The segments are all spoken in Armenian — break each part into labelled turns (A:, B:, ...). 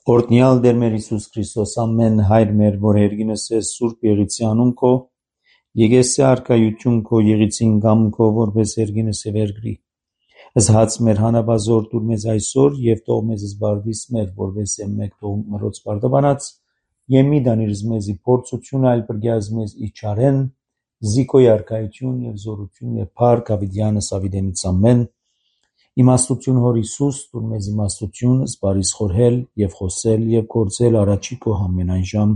A: Օրհնյալ Տեր մեր Հիսուս Քրիստոս, ամեն հայր մեր, որ հերգինս ես Սուրբ Եղիցի անուն քո, եկեսի արքայություն քո եղիցին գամ քո, որպես հերգինս է վերգրի։ Ըստ մեր հանապազոր տուր մեզ այսօր եւ թող մեզ զբարդիս մեր, որպես մեկ թող մրոց բարդաբանած, եւ մի դանիրս մեզի փորձություն այլ բրգյազ մեզ իչարեն, զիկոյ արքայություն եւ զորություն եւ փառք ավիդյանս ավիդենից ամեն։ Իմաստություն հոր Հիսուս, տուր մեզ իմաստություն, զբարիս խորհել եւ խոսել եւ գործել առաջի քո ամենայն ժամ։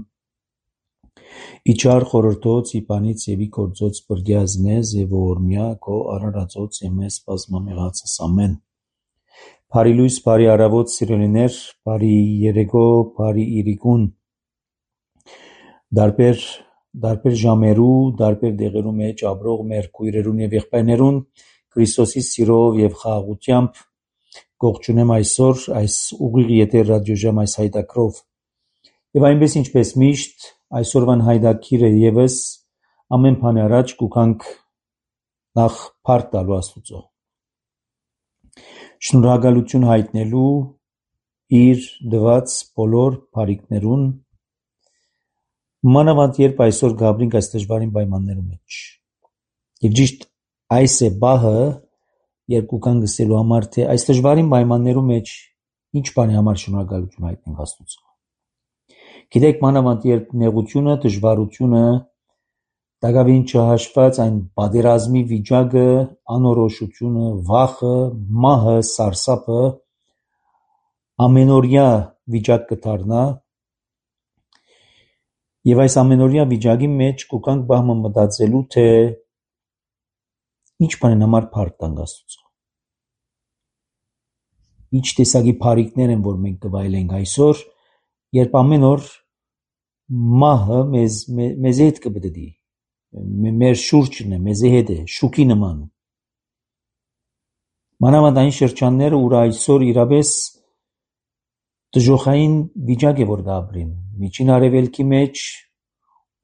A: Իչար խորհրդոց իբանից եւ ի գործոց բրգյազ մեզ եւ օրմյա քո արարածոց եւ մեզ բազմամեղացս ամեն։ Բարի լույս, բարի առավոտ սիրելիներ, բարի երեկո, բարի իրիկուն։ Դարբեր ժամերու, դարբեր դեղերու մեջ ապրող մեր քույրերուն եւ եղբայրներուն Քրիստոսի սիրով եւ խաղաղությամբ գողջունեմ այսօր այս ուղիղ եթեր ռադիոժամ այս հայտակրով եւ այնպես ինչպես միշտ այսօրվան հայտակիրը եւս ամեն բան առաջ կուքանք նախ փառք տալու Աստուծո շնորհակալություն հայտնելու իր դված բոլոր բարիքներուն մանավանդ երբ այսօր գաբրինք այս դժվարին պայմաններում մեջ եւ ճիշտ այս է բահը երկու կան գսելու համար թե այս դժվարին պայմաններում մեջ ինչ բանի համար շնորհակալություն հայտնենք Աստծո։ Գիտեք մանավանդ երբ նեղությունը, դժվարությունը, դակավին չհաշված այն պատերազմի վիճակը, անորոշությունը, վախը, մահը, սարսափը ամենօրյա վիճակ կդառնա եւ այս ամենօրյա վիճակի մեջ կուքանք բահմը մտածելու թե ինչ բանն համար փառք տանք Աստծո։ Ինչ տեսակի բարիքներ են որ մենք կվայելենք այսօր, երբ ամեն օր մահը մեզ հետ կբդի, մեր շուրջն է, մեզ հետ է, շուքի նման։ Մանավանդ այն շրջանները, ուր այսօր իրապես դժոխային վիճակ է որ գաբրին, միջին արևելքի մեջ,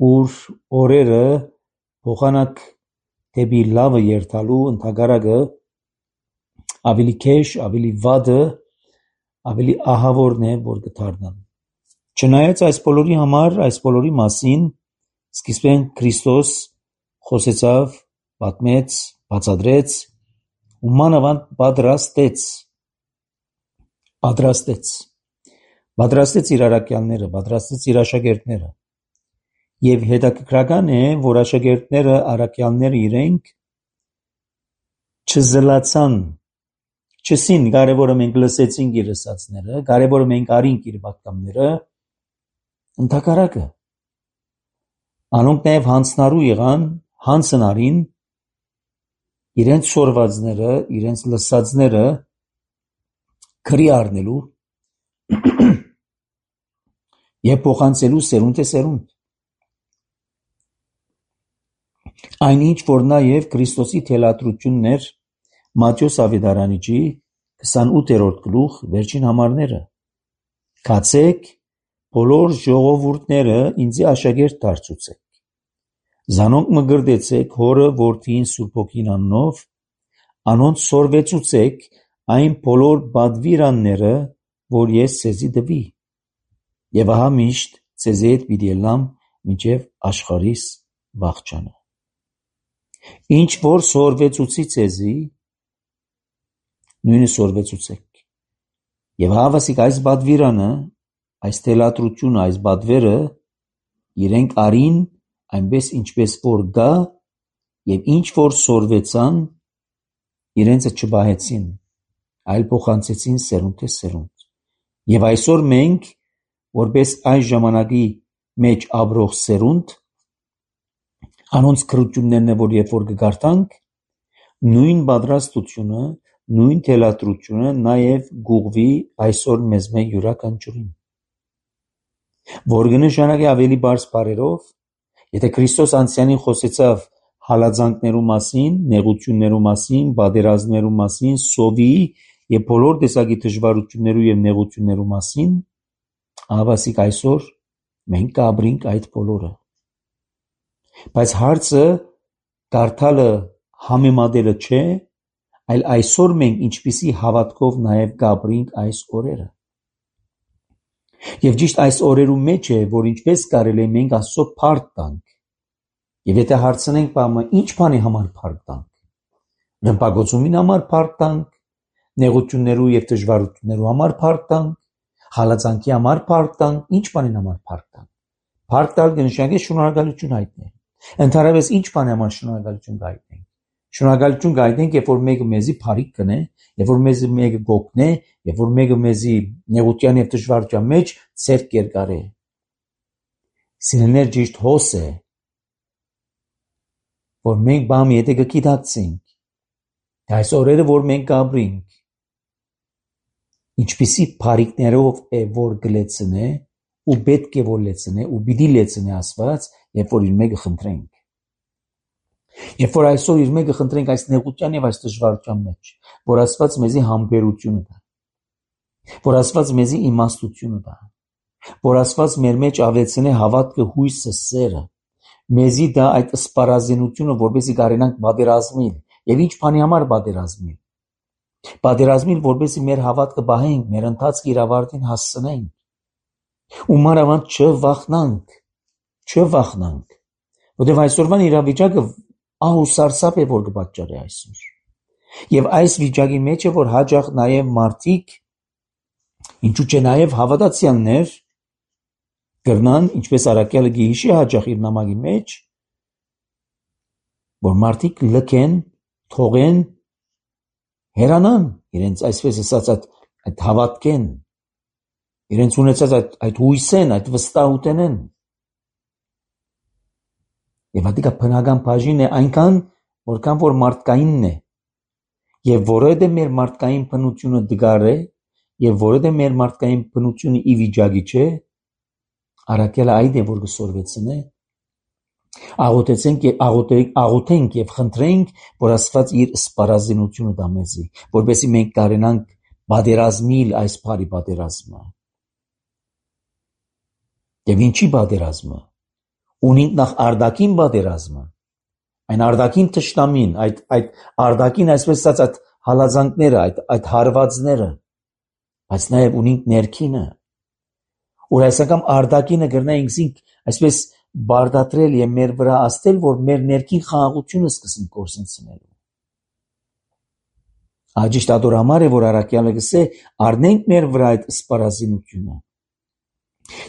A: ուր օրերը փոխանակ դեպի լավը երթալու ընդհակառակը ավելի քեշ, ավելի վատը, ավելի ահավորն է որ կդառնան։ Չնայած այս բոլորի համար, այս բոլորի մասին սկիզբեն Քրիստոս խոսեցավ, պատմեց, բացատրեց ու մանավանդ պատրաստեց իր առաքյալները, պատրաստեց իր աշակերտները։ Եվ հետաքրքրական է, որ աշակերտները, առաքյալները իրենք չզլացան, չսին կարևորը մենք լսեցինք իր ասածները, կարևորը մենք արինք իր պատգամները, ընդհակառակը անոնք նաև հանցնարու եղան, հանցնարին իրենց սորվածները, իրենց լսածները քրի առնելու եւ փոխանցելու սերունդ է սերունդ։ Այնինչ որ նաև Քրիստոսի թելադրությունն էր Մատթեոս Ավետարանիչի 28-րդ գլուխ վերջին համարները։ Գացեք բոլոր ժողովուրդները ինձի աշակերտ դարձուցեք։ Զանոնք մգրդեցեք հորը որդին Սուրբ Հոգին անունով, անոնց սորվեցուցեք այն բոլոր բադվիրանները, որ ես ցեզի տվի։ Եվ ահա միշտ ցեզի հետ պիտի ելամ մինչև աշխարհիս վախճանը։ Ինչ որ սորվեցուցի ցեզի, նույնը սորվեցուցեք։ Եվ հավասիկ այս բադվիրանը, այս թելադրությունը, այս բադվերը իրենք արին այնպես ինչպես որ գա եւ ինչ որ սորվեցան իրենցը չբահեցին, այլ փոխանցեցին սերունդ է սերունդ։ Եվ այսօր մենք որպես այս ժամանակի մեջ ապրող սերունդ անոնց քրություններն է որ երբ որ կգարտանք նույն պատրաստությունը, նույն թելադրությունը նաև գուղվի այսօր մեզ մեր յուրաքանչյուրին։ Որ կնշանակի ավելի բարձ բարերով, եթե Քրիստոս անցյալին խոսեցավ հալածանքներու մասին, նեղություններու մասին, պատերազմներու մասին, սովի եւ բոլոր տեսակի դժվարություններու եւ նեղություններու մասին, ահավասիկ այսօր մենք կապրինք այդ բոլորը։ Բայց հարցը կարդալը համեմատելը չէ, այլ այսօր մենք ինչպիսի հավատքով նաև կապրինք այս օրերը։ Եվ ճիշտ այս օրերու մեջ է, որ ինչպես կարելի է մենք Աստծո փառք տանք։ Եվ եթե հարցնենք բամը ինչ բանի համար փառք տանք, ռմբակոծումին համար փառք տանք, նեղություններու եւ դժվարություններու համար փառք տանք, հալածանքի համար փառք տանք, ինչ բանին համար փառք տանք։ Փառք տալ կնշանակի շնորհակալություն հայտնել։ Ընդհանրապես ինչ բանի համար շնորհակալություն հայտնենք։ Շնորհակալություն հայտնենք, երբ որ մեկը մեզի փառք կնե, երբ որ մեզի մեկը գոհնե, երբ որ մեկը մեզի նեղության եւ դժվարության մեջ ցերկ կերկարե։ Սիրելիներ, ճիշտ հոս է, որ մենք բամի եթե կգիտակցենք, այս օրերը որ մենք կապրենք, ինչպիսի փառքներով է որ գլեցնե ու պետք է որ լեցնե ու պիտի լեցնե Աստված, երբ որ իր մեկը խնդրենք։ Երբ որ այսօր իր մեկը խնդրենք այս նեղության եւ այս դժվարության մեջ, որ Աստված մեզի համբերությունը տա, որ Աստված մեզի իմաստությունը տա, որ Աստված մեր մեջ ավելցնե հավատքը, հույսը, սերը, մեզի դա այդ սպառազինությունը, որպեսզի կարենանք պատերազմել, եւ ինչ բանի համար պատերազմել։ Պատերազմել, որպեսզի մեր հավատքը բահենք, մեր ընթացքը իր ավարտին հասցնենք։ Ու մանավանդ չվախնանք, որտեղ այսօրվան իրավիճակը ահ ու սարսափ է, որ կպատճառի այսօր։ Եվ այս վիճակի մեջ է, որ հաճախ նաև մարդիկ, ինչու՞ չէ նաև հավատացյալներ, կրնան, ինչպես Առաքյալը գիհիշի հաճախ իր նամակի մեջ, որ մարդիկ լքեն, թողեն, հերանան, իրենց այսպես ասած այդ հավատքեն, իրենց ունեցած այդ հույսեն, այդ վստահութենեն։ Եվ հատիկա բնական բաժին է այնքան, որքան որ մարդկայինն է։ Եվ որովհետև մեր մարդկային բնությունը դգար է, եւ որովհետև մեր մարդկային բնությունը ի վիճակի չէ, Առաքյալը այդ է, որ կսորվեցնե, աղոթենք եւ խնդրենք, որ Աստված իր սպառազինությունը տա մեզի, որպեսզի մենք կարենանք պատերազմել այս բարի պատերազմը։ Եվ ինչի պատերազմը։ Ունենք նախ արտաքին պատերազմը, այն արտաքին թշնամին, այդ արտաքին այսպես ասած այդ հալածանքները, այդ հարվածները, բայց նաև ունենք ներքինը, որ այս անգամ արտաքինը գրնայինք զինք այսպես բարդատրել եւ մեր վրա աստել, որ մեր ներքին խաղաղությունը սկսենք կորսնցնելու։ Աջիշտ ադոր համար է, որ Առաքյալը գսե առնենք մեր վրա այդ սպառազինությունը։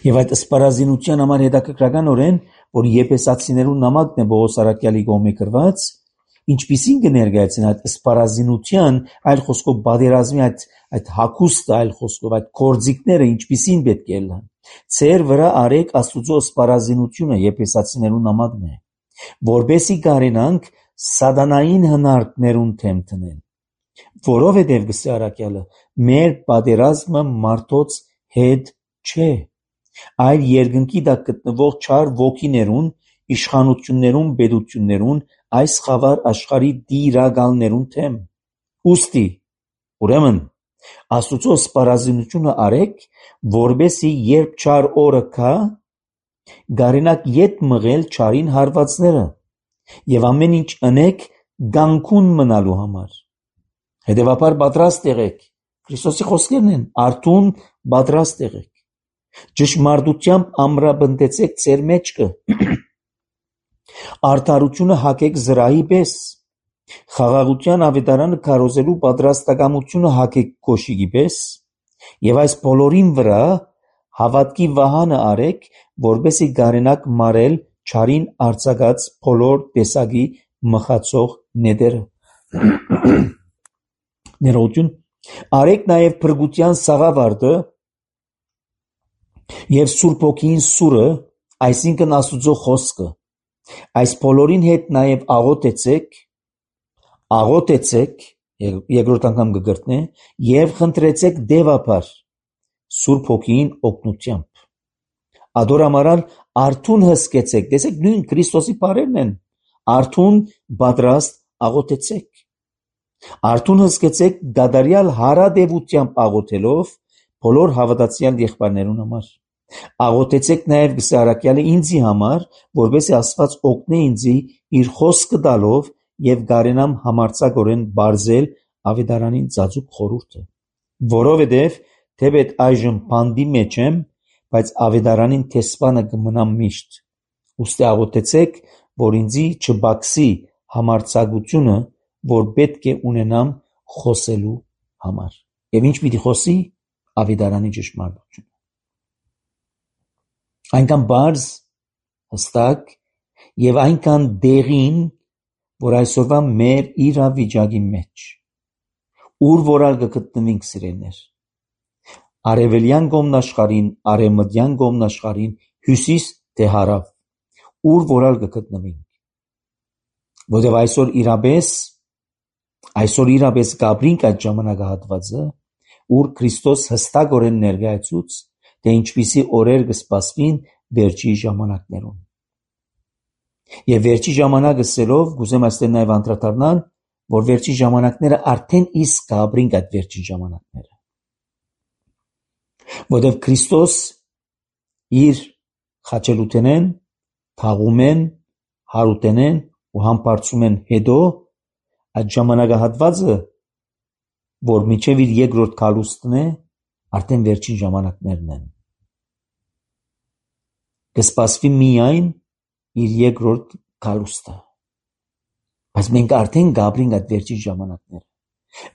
A: Եվ այդ սպառազինության համար հետաքրքրականորեն, որ Եփեսացիներու նամակն է Պողոս Առաքյալի կողմէ գրված, ինչպիսին կներկայացնի այդ սպառազինության, այլ խոսքով պատերազմի այդ հագուստը, այլ խոսքով այդ կորձիկները ինչպիսին պետք է լինեն։ Ձեր վրա արեք Աստուծո սպառազինությունը, Եփեսացիներու նամակն է, որբեսի կարենանք սատանային հնարքներուն թեմ տնել։ Որովհետև գսե Առաքյալը, մեր պատերազմը մարդոց հետ չէ, այլ երկնքի տակ գտնվող չար ոգիներուն, իշխանություններուն, պետություններուն, այս խավար աշխարհի դիրակալներուն թեմ։ Ուստի, ուրեմն, Աստուծո սպառազինությունը արեք, որբեսի երբ չար օրը գա, գարենակ ետ մղել չարին հարվածները, եւ ամեն ինչ ընեք գանքուն մնալու համար։ Հետևաբար պատրաստ եղեք, Քրիստոսի խոսքերն են, արթուն պատրաստ եղեք, ճշմարտությամբ ամրապնդեցեք ձեր մեջքը, արդարությունը հագեք զրահի պես, խաղաղության ավետարանը քարոզելու պատրաստակամությունը հագեք կոշիկի պես, եւ այս բոլորին վրա հավատքի վահանը արեք, որպեսզի գարենակ մարել չարին արձակած բոլոր տեսակի մխացող նետերը։ Ներողություն, արեք նաև փրկության սաղավարտը եւ Սուրբ Հոգին սուրը, այսինքն Աստուծո խոսքը։ Այս բոլորին հետ նաև աղոթեցեք, երկրորդ անգամ կգրտնե, եւ խնդրեցեք դեվապար Սուրբ Հոգին օգնությամբ։ Ադորամարալ արթուն հսկեցեք, տեսեք նույն Քրիստոսի բառերն են, արթուն պատրաստ աղոթեցեք։ Արթուն հսկեցեք դադարյալ հարադեվությամբ աղոթելով բոլոր հավատացյալ եղբայրներուն համար։ Աղոթեցեք նաև գսե Առաքյալը ինձի համար, որպեսզի Աստված օգնե ինձի իր խոսքը տալով եւ գարենամ համարձակորեն բարձել ավետարանին ծածուկ խորհուրդը։ Որովհետև թեպետ այժմ բանդի մեջ եմ, բայց ավետարանին տեսպանը կմնա միշտ։ Ուստի աղոթեցեք, որ ինձի չբացի համարձակությունը, որ պետք է ունենամ խոսելու համար։ Եվ ինչ պիտի խոսի ավետարանի ճշմարտությունը։ Այնքան բարձ, հստակ եւ այնքան դեղին, որ այսօրվա մեր իրավիճակի մեջ, ուր որալ կգտնվենք սիրելներ, արևելյան կողմնաշխարհին, արևմտյան կողմնաշխարհին, հյուսիս թե հարավ, ուր որալ կգտնվենք, որտեղ այսօր իրապես կապրինք այդ ժամանակահատվածը, ուր Քրիստոս հստակորեն ներկայացուց, թե ինչպիսի օրեր կսպասվին վերջի ժամանակներում։ Եվ վերջի ժամանակ ասելով, գուզեմ այստեղ նաև անդրադառնալ, որ վերջի ժամանակները արդեն իսկ կապրինք այդ վերջի ժամանակները։ Որտեղ Քրիստոս իր խաչելութենեն, թաղումեն, հարութենեն ու համբարձումեն հետո այդ ժամանակահատվածը, որ մինչև իր երկրորդ գալուստն է, արդեն վերջին ժամանակներն են։ Կսպասվի միայն իր երկրորդ գալուստը։ Բայց մենք արդեն կապրինք այդ վերջին ժամանակները,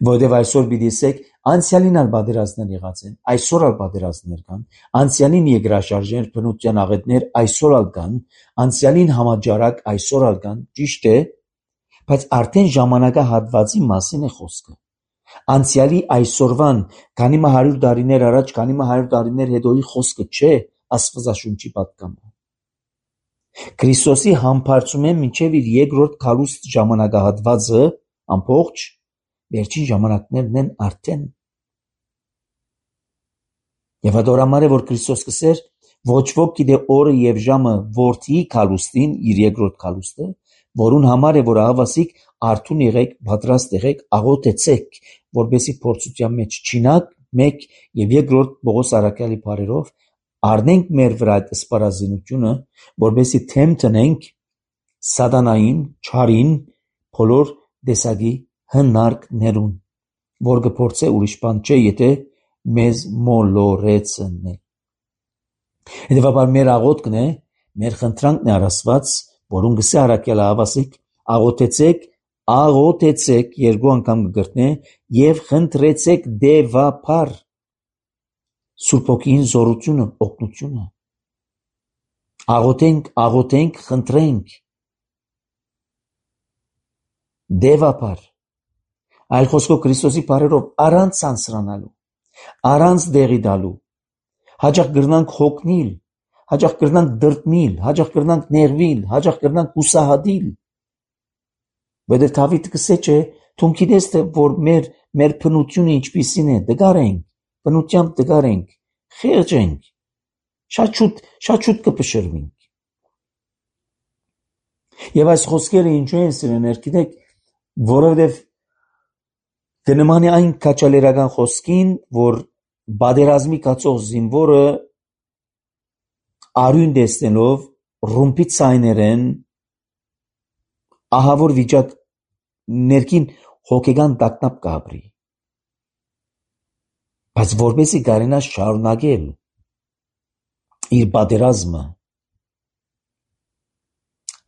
A: որտեղ այսօր պիտի ասեք, անցյալին ալ պատերազմներ եղած են, այսօր ալ պատերազմներ կան, անցյալին երկրաշարժեր, բնության աղետներ այսօր ալ կան, անցյալին համաճարակ այսօր ալ կան, ճիշտ է, բայց արդեն ժամանակահատվածի մասին է խոսքը։ Անցյալի այսօրվան, քանի 100 տարիներ առաջ, քանի 100 տարիներ հետոյի խոսքը չէ Աստվածաշունչի պատկանը։ Քրիստոսի համբարձումեն մինչև իր երկրորդ գալուստ ժամանակահատվածը ամբողջ վերջին ժամանակներն են արդեն։ Եվ այդ օրամար է, որ Քրիստոս կսեր, ոչ ոք գիտե օրը եւ ժամը որդի գալուստին, իր երկրորդ գալուստը, որուն համար է, որ աղավասիկ արթուն եղեք, պատրաստ եղեք, աղոթեցեք, որպեսզի փորձության մեջ չինակ, մեկ եւ երկրորդ Պողոս առաքյալի բառերով առնենք մեր վրա այդ սպառազինությունը, որպեսզի թեմ տնենք սատանային, չարին, բոլոր տեսակի հնարքներուն, որ կփորձե ուրիշ բան չէ, եթե մեզ մոլորեցնե։ Հետևաբար մեր աղոթքն է, մեր խնդրանքն է Աստված, որուն գսե առաքյալը աղավասիկ, աղոթեցեք երկու անգամ կգրտնե եւ խնդրեցեք դեվափար Սուրբ Հոգին զորությունը, օգնությունը։ Աղոթենք, խնդրենք դեվափար, այլ խոսքով Քրիստոսի բառերով առանց սանսրանալու, առանց դեղի տալու, հաճախ կրնանք հոգնիլ, հաճախ կրնանք դրտմիլ, հաճախ կրնանք նեղվիլ, հաճախ կրնանք հուսահատիլ։ Որտեղ Դավիթը կսե չէ, թուն գիտես թե որ մեր բնությունը ինչպիսին է, դգարենք, բնությամբ դգարենք, խեղճ ենք, շատ շուտ կփշրվենք։ Եվ այս խոսքերը ինչու են սիրելիներ, գիտեք, որովհետև կնմանի այն քաչալերական խոսքին, որ բادرազմի կացող զինվորը արյուն տեսնելով ռումբի ցայներեն ահավոր վիճակ ներքին հոգեգան տագնապ կապրի։ Բայց որպեսզի կարենա շարունակել իր պատերազմը,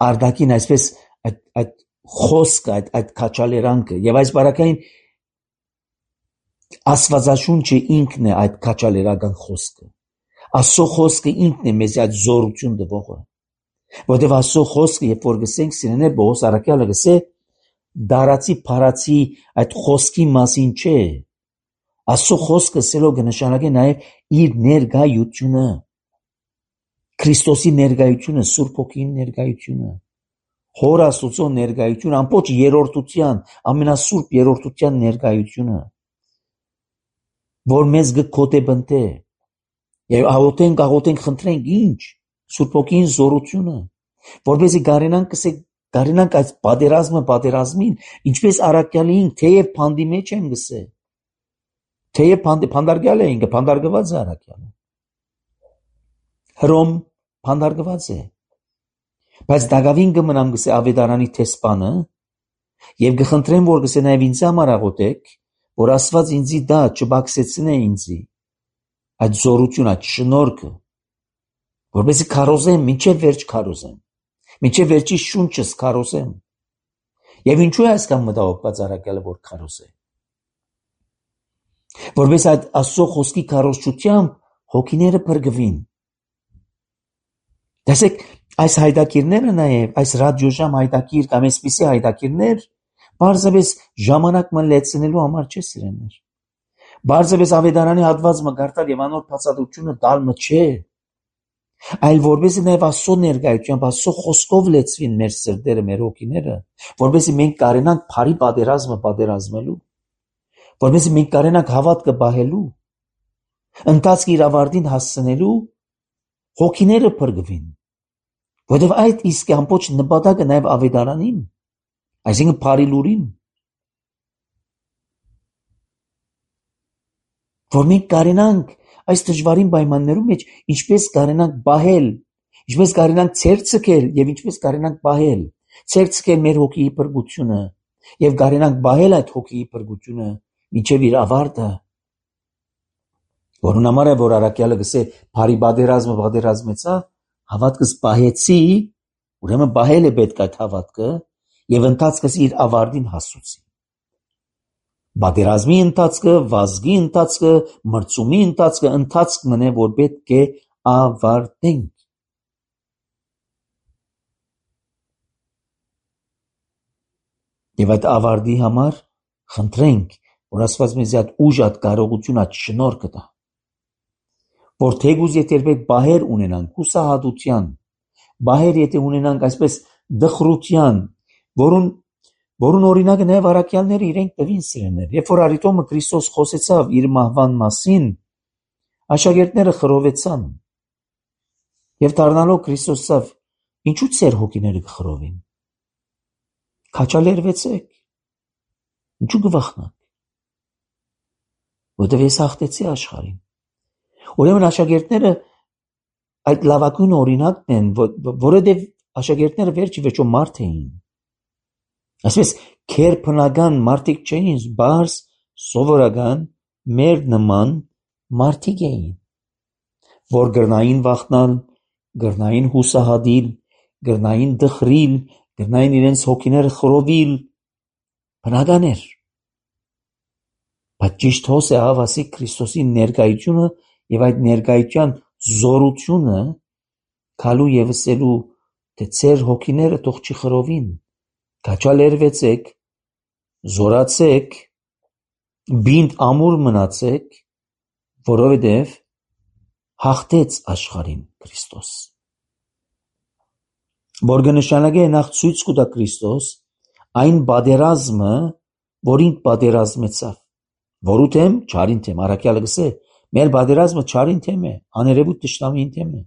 A: արդակին այսպես այդ խոսքը, այդ քաչալերանքը եւ այս բարակային Աստվածաշունչը ինքն է այդ քաչալերական խոսքը։ Աստծո խոսքը ինքն է մեզ այդ զորություն տվողը։ Որտեւ Աստծո խոսքը, երբ որ գսենք սիրելիներ, Պողոս առաքյալը գսե դարացի փարացի այդ խոսքի մասին չէ։ Աստծո խոսքը սելով կնշանակե նաև իր ներկայությունը, Քրիստոսի ներկայությունը, Սուրբ Հոգին ներկայությունը, Հոր Աստծո ներկայությունը, ամբողջ երրորդության, ամենասուրբ երրորդության ներկայությունը, որ մեզ կգոտեբնտե եւ աղոթենք, խնդրենք ինչ Սուրբ Հոգին զորությունը, որպեսզի կարենանք այս պատերազմին, ինչպես առաքյալին, թեև փանդի մեջ եմ գսե, թեև փանդարգյալ է ինքը, փանդարգված է առաքյալը, Հռոմ փանդարգված է, բայց դակավին կմնամ գսե ավետարանի տեսփանը եւ կխնդրեմ, որ գսե նաեւ ինձ համար աղոթեք, որ Աստված ինձի դա չբացեցնե ինձի այդ զորությունը, այդ շնորհքը, որպեսզի քարոզեմ, մինչև վերջ քարոզեմ, մինչև վերջի շունչս քարոզեմ։ Եվ ինչու է այսքան մտահոգված առաքյալը, որ քարոզե։ Որպես այդ Աստծո խոսքի քարոզչությամբ հոգիները փրկվին։ Տեսեք, այս հայտակիրները նաև, այս ռադիոժամ հայտակիր կամ այսպիսի հայտակիրներ, բարձրապես ժամանակ մլեցնելու համար չէ սիրելիներ։ Բարձրապես ավետարանի հատվածը գարտալ եւ անոր բացատրությունը տալը չէ, այլ որպեսզի նաև Աստծո ներկայությամբ, Աստծո խոսքով լեցվին մեր սրտերը, մեր հոգիները, որպեսզի մենք կարենանք բարի պատերազմը պատերազմելու, որպեսզի մենք կարենանք հավատքը բահելու, ընթացքի իր ավարտին հասցնելու, հոգիները փրկվին, որովհետև այդ իսկ ամբողջ նպատակը նաև ավետարանին, այսինքն բարի լուրին, որ մենք կարենանք այս դժվարին պայմաններում մեջ ինչպես կարենանք բահել, ինչպես կարենանք ցերցկել եւ ինչպես կարենանք բահել, ցերցկել մեր հոգիի փրկությունը եւ կարենանք բահել այդ հոգիի փրկությունը մինչեւ իր ավարտը, որուն համար է որ առաքյալը գսե բարի պատերազմը պատերազմեցա, հավատքս բահեցի, ուրեմն բահել է պետք այդ հավատքը եւ ընթացքս իր ավարտին հասուցի։ Պատերազմի ընթացքը, վազգի ընթացքը, մրցումի ընթացքը ընթացք մնե, որ պետք է ավարտենք։ Եվ այդ ավարտի համար խնդրենք, որ Աստված մեզ այդ ուժ, այդ կարողություն, այդ շնորհքը տա, որ թեկուզ եթե երբեք բահեր ունենանք հուսահատության, բահեր եթե ունենանք այսպես դխրության, որուն օրինակը նաև առաքյալները իրենք տվին սիրելիներ։ Երբ որ Արիտոմը Քրիստոս խոսեցավ իր մահվան մասին, աշակերտները խռովեցան եւ դառնալով Քրիստոսով, ինչու ծեր հոգիները կխռովին։ Քաչալերվեցեք։ Ինչու գվախնաք։ Որտեւ ես հաղթեցի աշխարհին։ Ուրեմն աշակերտները այդ լավագույն օրինակն են, որովհետեւ աշակերտները վերջի վերջո մարդ էին։ Այսպես քեր բնական մարդիկ չէին, բարձ սովորական մեր նման մարդիկ էին, որ գրնային վախնալ, գրնային հուսահատիլ, գրնային դխրիլ, գրնային իրենց հոգիները խռովիլ, բնական էր։ Բայց ճիշտ հոս է հավասի Քրիստոսի ներկայությունը եւ այդ ներկայության զորությունը քալու եւ ասելու, թե ծեր հոգիները թող չխռովին, քաչալերվեցեք, զորացեք, բինտ ամուր մնացեք, որովհետև հաղթեց աշխարհին Քրիստոս։ Որ կնշանակե նախ ցույց կտա Քրիստոս այն պատերազմը, որին պատերազմեցավ, որու թեմ չարին թեմ, առաքյալը գսե, մեր պատերազմը չարին թեմ է, աներևույթ թշնամին թեմ է։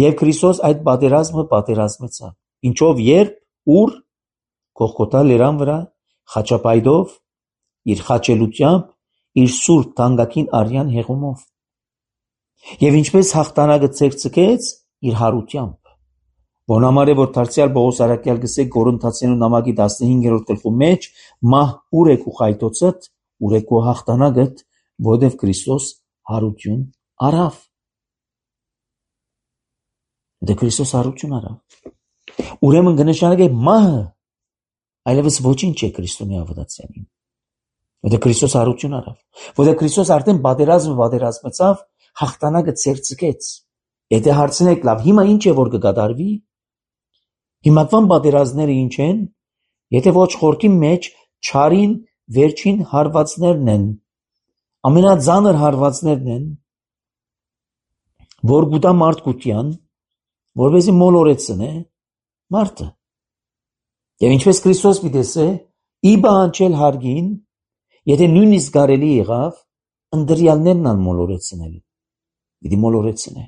A: Եվ Քրիստոս այդ պատերազմը պատերազմեցավ։ Ինչով, երբ, ուր, Գողգոթա լերան վրա, խաչապայդով, իր խաչելությամբ, իր սուրբ թանկագին արյան հեղումով։ Եվ ինչպես հաղթանակը ցերծկեց իր հարությամբ։ Որն համար է որ դարձյալ Պողոս առաքյալ գսե Կորինթացիներու նամակի 15-րդ գլխու մեջ, մահ ուր է քու խայտոցդ, ուր է քու հաղթանակդ, որովհետև Քրիստոս հարություն արավ։ Դե Քրիստոս հարություն արավ։ Ուրեմն կնշանակե մահը այլևս ոչինչ է Քրիստոնի ավետացյանին։ Որտեղ Քրիստոս հարություն արավ, որտեղ Քրիստոս արդեն պատերազմեցավ, հաղթանակը ցերծկեց։ Եթե հարցնեք, լավ, հիմա ինչ է որ կկատարվի։ Հիմակվան պատերազմները ինչ են, եթե ոչ խորքի մեջ չարին վերջին հարվածներն են, ամենածանր հարվածներն են, որ գուտա մարդկության, որպեսզի մոլորեցնե մարդը։ Եվ ինչպես Քրիստոս պիտեսե, իբա անչել հարգին, եթե նույնիսկ կարելի եղավ, ընդրյալներն ան մոլորեցնել, պիտի մոլորեցնե։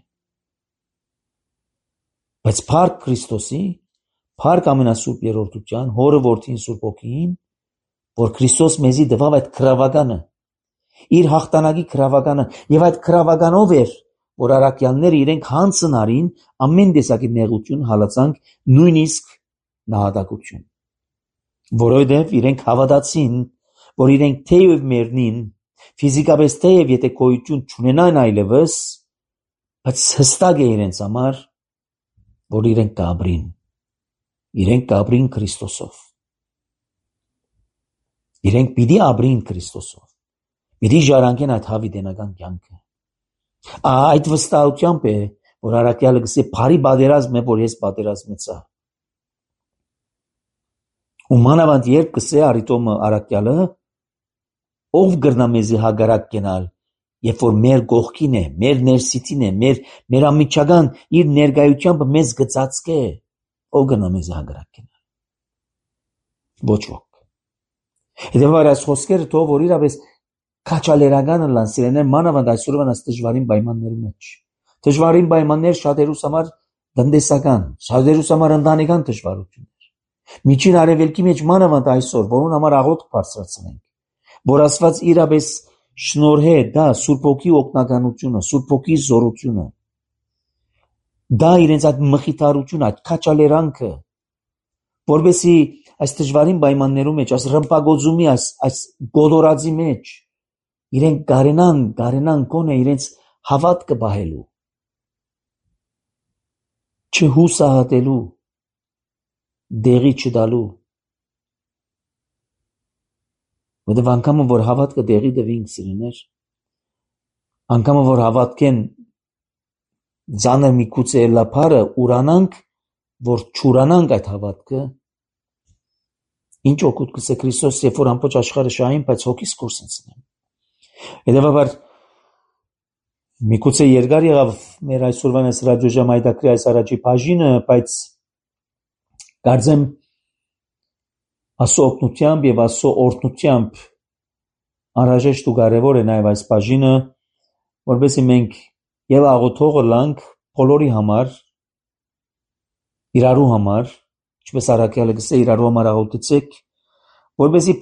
A: Բայց փառք Քրիստոսի, փառք ամենասուրբ երրորդության, հորը որդին սուրբ ոգին, որ Քրիստոս մեզի տվավ այդ քրավականը, իր հաղթանակի քրավականը, եւ այդ քրավականով էր, որ առաքյալները իրենք հանցն արին ամեն տեսակի նեղություն, հալածանք, նույնիսկ նահատակություն, որովհետև իրենք հավատացին, որ իրենք թեև մեռնին, ֆիզիկապես թեև եթե գոյություն չունենան այլևս, բայց հստակ է իրենց համար, որ իրենք կապրին, իրենք կապրին Քրիստոսով, իրենք պիտի ապրին Քրիստոսով, պիտի ժառանգեն այդ հավիտենական կյանքը։ Այդ վստահությամբ է, որ առաքյալը գսե բարի պատերազմ է, որ ես պատերազմեցա։ Ու մանավանդ երբ գսե Արիտոմը առաքյալը, ով գրնա մեզի հագարակ կենալ, երբ որ մեր գողքին է, մեր ներսիտին է, մեր ամիջական իր ներկայությամբ մեզ գծածկե, ով գրնա մեզի հագարակ կենալ։ Ոչ ոք։ Հետևաբար այս խոսքերը թող որ իրապես քաչալերական լան սիրեներ մանավանդ այսօրվան այս դժվարին պայմաններում մեջ։ Դժվարին պայմաններ շատերուս համար տնտեսական, շատերուս համար ընտանեկան դժվարություններ։ Միջին արևելքի մեջ մանավանդ այսօր, որոնց համար աղոթք բարձրացնենք, որ Աստված իրապես շնորհե դա Սուրբ Հոգի օգնականությունը, Սուրբ Հոգի զորությունը, դա իրենց այդ մխիթարությունը, այդ քաչալերանքը, որովհետեւ այս դժվարին պայմաններում մեջ, այս ռմբագոծումի, այս գոդորածի մեջ իրենք գարենան կոնե իրենց հավատքը բահելու, չհուսահատելու, դեղի չդալու, որովհետև անգամը որ հավատքը դեղի դվին սիրուներ, անգամը որ հավատքեն ձանր մի քուցե լափարը ուրանանք, որ չուրանանք այդ հավատքը, ինչ օգուտ կսե Քրիստոս, երբ որ ամբողջ աշխարհը շահին, բայց հոգիս կորսեցնեն։ Հետևաբար միգուցե երկար եղավ մեր այսօրվան այս ռադիոժամայդակրի այս առաջի բաժինը, բայց կարծեմ Աստծո օգնությամբ եւ Աստծո օրհնությամբ անհրաժեշտ ու կարևոր է նաեւ այս բաժինը, որովհետեւ մենք եւ աղոթողը լանք բոլորի համար, իրարու համար, ինչպես առաքյալը գսե իրարու համար աղոթեցեք, որովհետեւ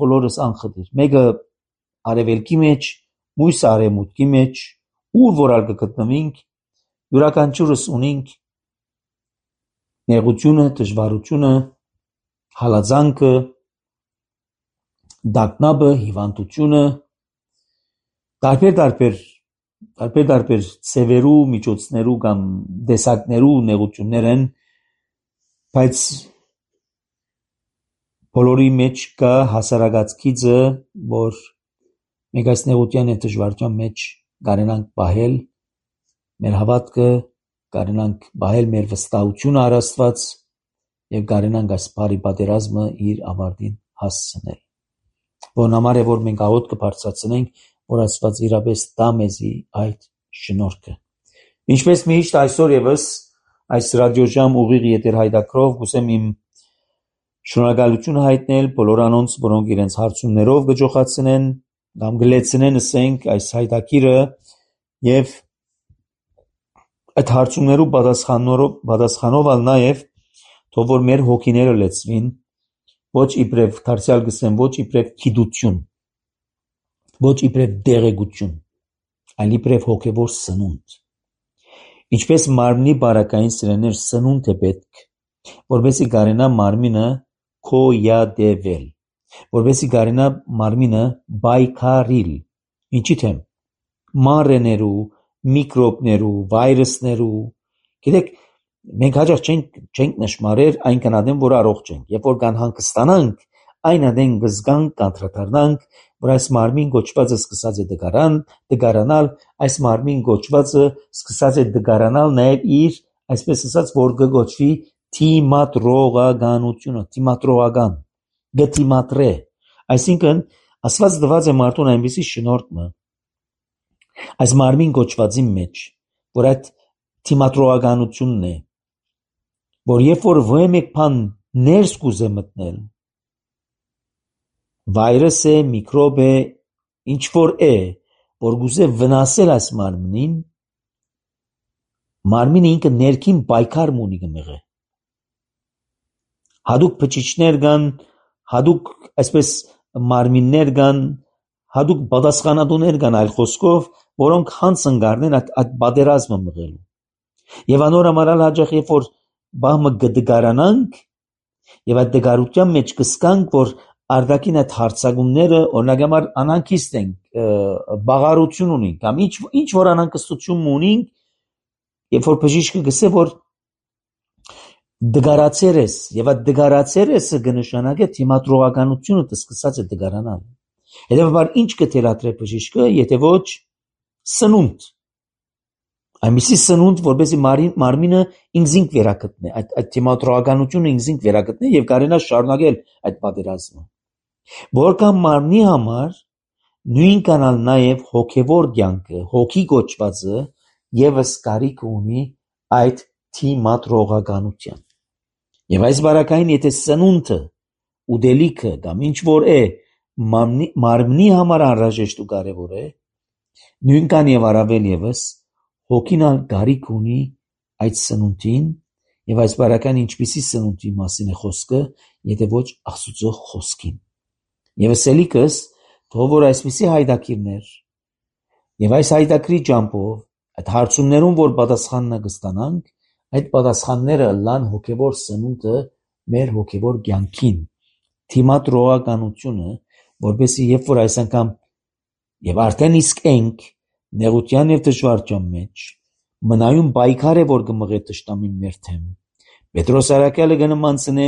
A: բոլորս անխտիր, մեկը արևելքի մեջ, մյուսը արևմուտքի մեջ, ուր որալ կգտնվենք, յուրաքանչյուրս ունենք նեղությունը, դժվարությունը, հալածանքը, դակնաբը, հիվանդությունը, տարբեր ծևերու, միջոցներու կամ դեսակներու նեղություններ են, բայց բոլորի մեջ կա հասարակած գիծը, որ մենք այս նեղության եւ դժվարության մեջ կարենանք պահել մեր հավատքը, կարենանք պահել մեր վստահությունը առ Աստված եւ կարենանք այս բարի պատերազմը իր ավարտին հասցնել։ Որն համար է, որ մենք աղոթք կբարձրացնենք, որ Աստված իրապես տա մեզի այդ շնորհքը։ Ինչպես միշտ այսօր եւս այս ռադիոժամ ուղիղ եթերհայտակրով կուսեմ իմ շնորհակալությունը հայտնել բոլոր անոնց, որոնք իրենց հարցումներով գճոխացնեն կամ գլեցնեն ասենք այս հայտակիրը եւ այդ հարցումներու պատասխանով ալ նաեւ թող որ մեր հոգիները լեցվին ոչ իբրև դարձյալ գսեմ ոչ իբրև քիդություն ոչ իբրև դեղեցություն այլ իբրև հոգևոր սնունդ ինչպես մարմնի բարակային սրեներ սնունդ է պետք որովհետեւ գարենա մարմինը քոյադեվել որովհետեւ գարենա մարմինը բայկարիլ ինչի թե մարեներու միկրոբներու վիրուսներու գիտեք մենք հաջող չենք նշмарեր այն կանադեն որ առողջ ենք երբ որ կան հանգստանանք այն ադեն գզգանք կանտրադառնանք որ այս մարմին գոչվածը սկսած է դգարանալ այս մարմին գոչվածը սկսած է դգարանալ նաև իր այսպես ասած որ գոչվի թիմատրողական գտիմատրե այսինքն ասված դված է մարդուն այնպեսի շնորհքը այս մարմին գոչվածի մեջ որ այդ թիմատրողականությունն է որ երբ որ ոմեկ բան ներս կուզե մտնել վիրուս է միկրոբ է ինչ որ է որ գուզե վնասել այս մարմնին մարմինը ինքը ներքին պայքար ունի գմեղը հadouk փճիչներ կան հadouk այսպես մարմիններ կան հadouk պատասխանատուներ կան այլ խոսքով որոնք հանցն գարնեն այդ պատերազմը մղելու եւ անորամարալ հաջող երբ որ բահմը գդգարանանք եւ այդ դգարության մեջ կսկանք որ արդակին այդ հարցակումները օրինակ համար անանքիստ են, բաղարություն ունին, կամ ինչ որ անանկստություն ունին, երբ որ բժիշկը գսե որ դգարացեր ես, եւ այդ դգարացեր եսը կնշանակե թիմադրողականությունը սկսած է դգարանալ։ Հետևաբար ինչ կթելադրե բժիշկը, եթե ոչ սնունդ, այնպիսի սնունդ, որպեսզի մարմինը ինքզինք վերակտնի, այդ թիմադրողականությունը ինքզինք վերակտնի եւ կարենա շարունակել այդ պատերազմը։ Որքան մարմնի համար նույն կանալ նաեւ հոգեվոր կյանքը, հոգի կոչվածը եւս կարիք ունի այդ թիմադրողականության։ Եվ այս բարակային եթե սնունդը, ուդելիքը կամ ինչ որ է մարմնի համար անհրաժեշտ ու կարևոր է, նույնքան եւ առավել եւս հոգին կարիք ունի այդ սնունդին եւ այս բարական ինչպիսի սնունդի մասին է խոսքը, եթե ոչ Աստծո խոսքին։ Եվ սելիկս թող որ այսպիսի հայդակիրներ եւ այս հայդակրի ջամփով այդ հարցումներուն որ պատասխանն կստանանք, այդ պատասխանները լան հոգեվոր սնունդը մեր հոգեվոր կյանքին, թիմադրողականությունը, որպեսզի երբ որ այս անգամ եւ արդեն իսկ ենք նեղության եւ դժվարության մեջ, մնայուն պայքար է որ կմղե տշտամին մեր թեմ։ Պետրոս Արաքյալը կնմանցնե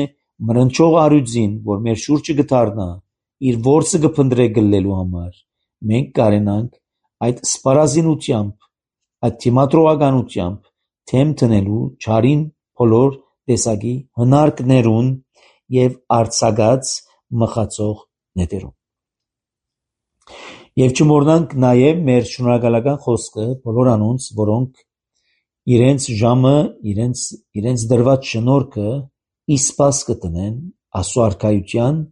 A: մրնչող արյուծին, որ մեր շուրջը կդառնա, իր ворսը կփնտրե գլելու համար։ Մենք կարենանք այդ սպառազինությամբ, այդ թիմադրողականությամբ թեմ տնելու ճարին բոլոր տեսակի հնարքներուն եւ արձակած մխածող նետերուն։ Եվ չմոռնանք նաեւ մեր շնորհակալական խոսքը բոլոր անոնց, որոնք իրենց ժամը, իրենց դրված շնորհքը իսպաս կտնեն Աստծո արքայության,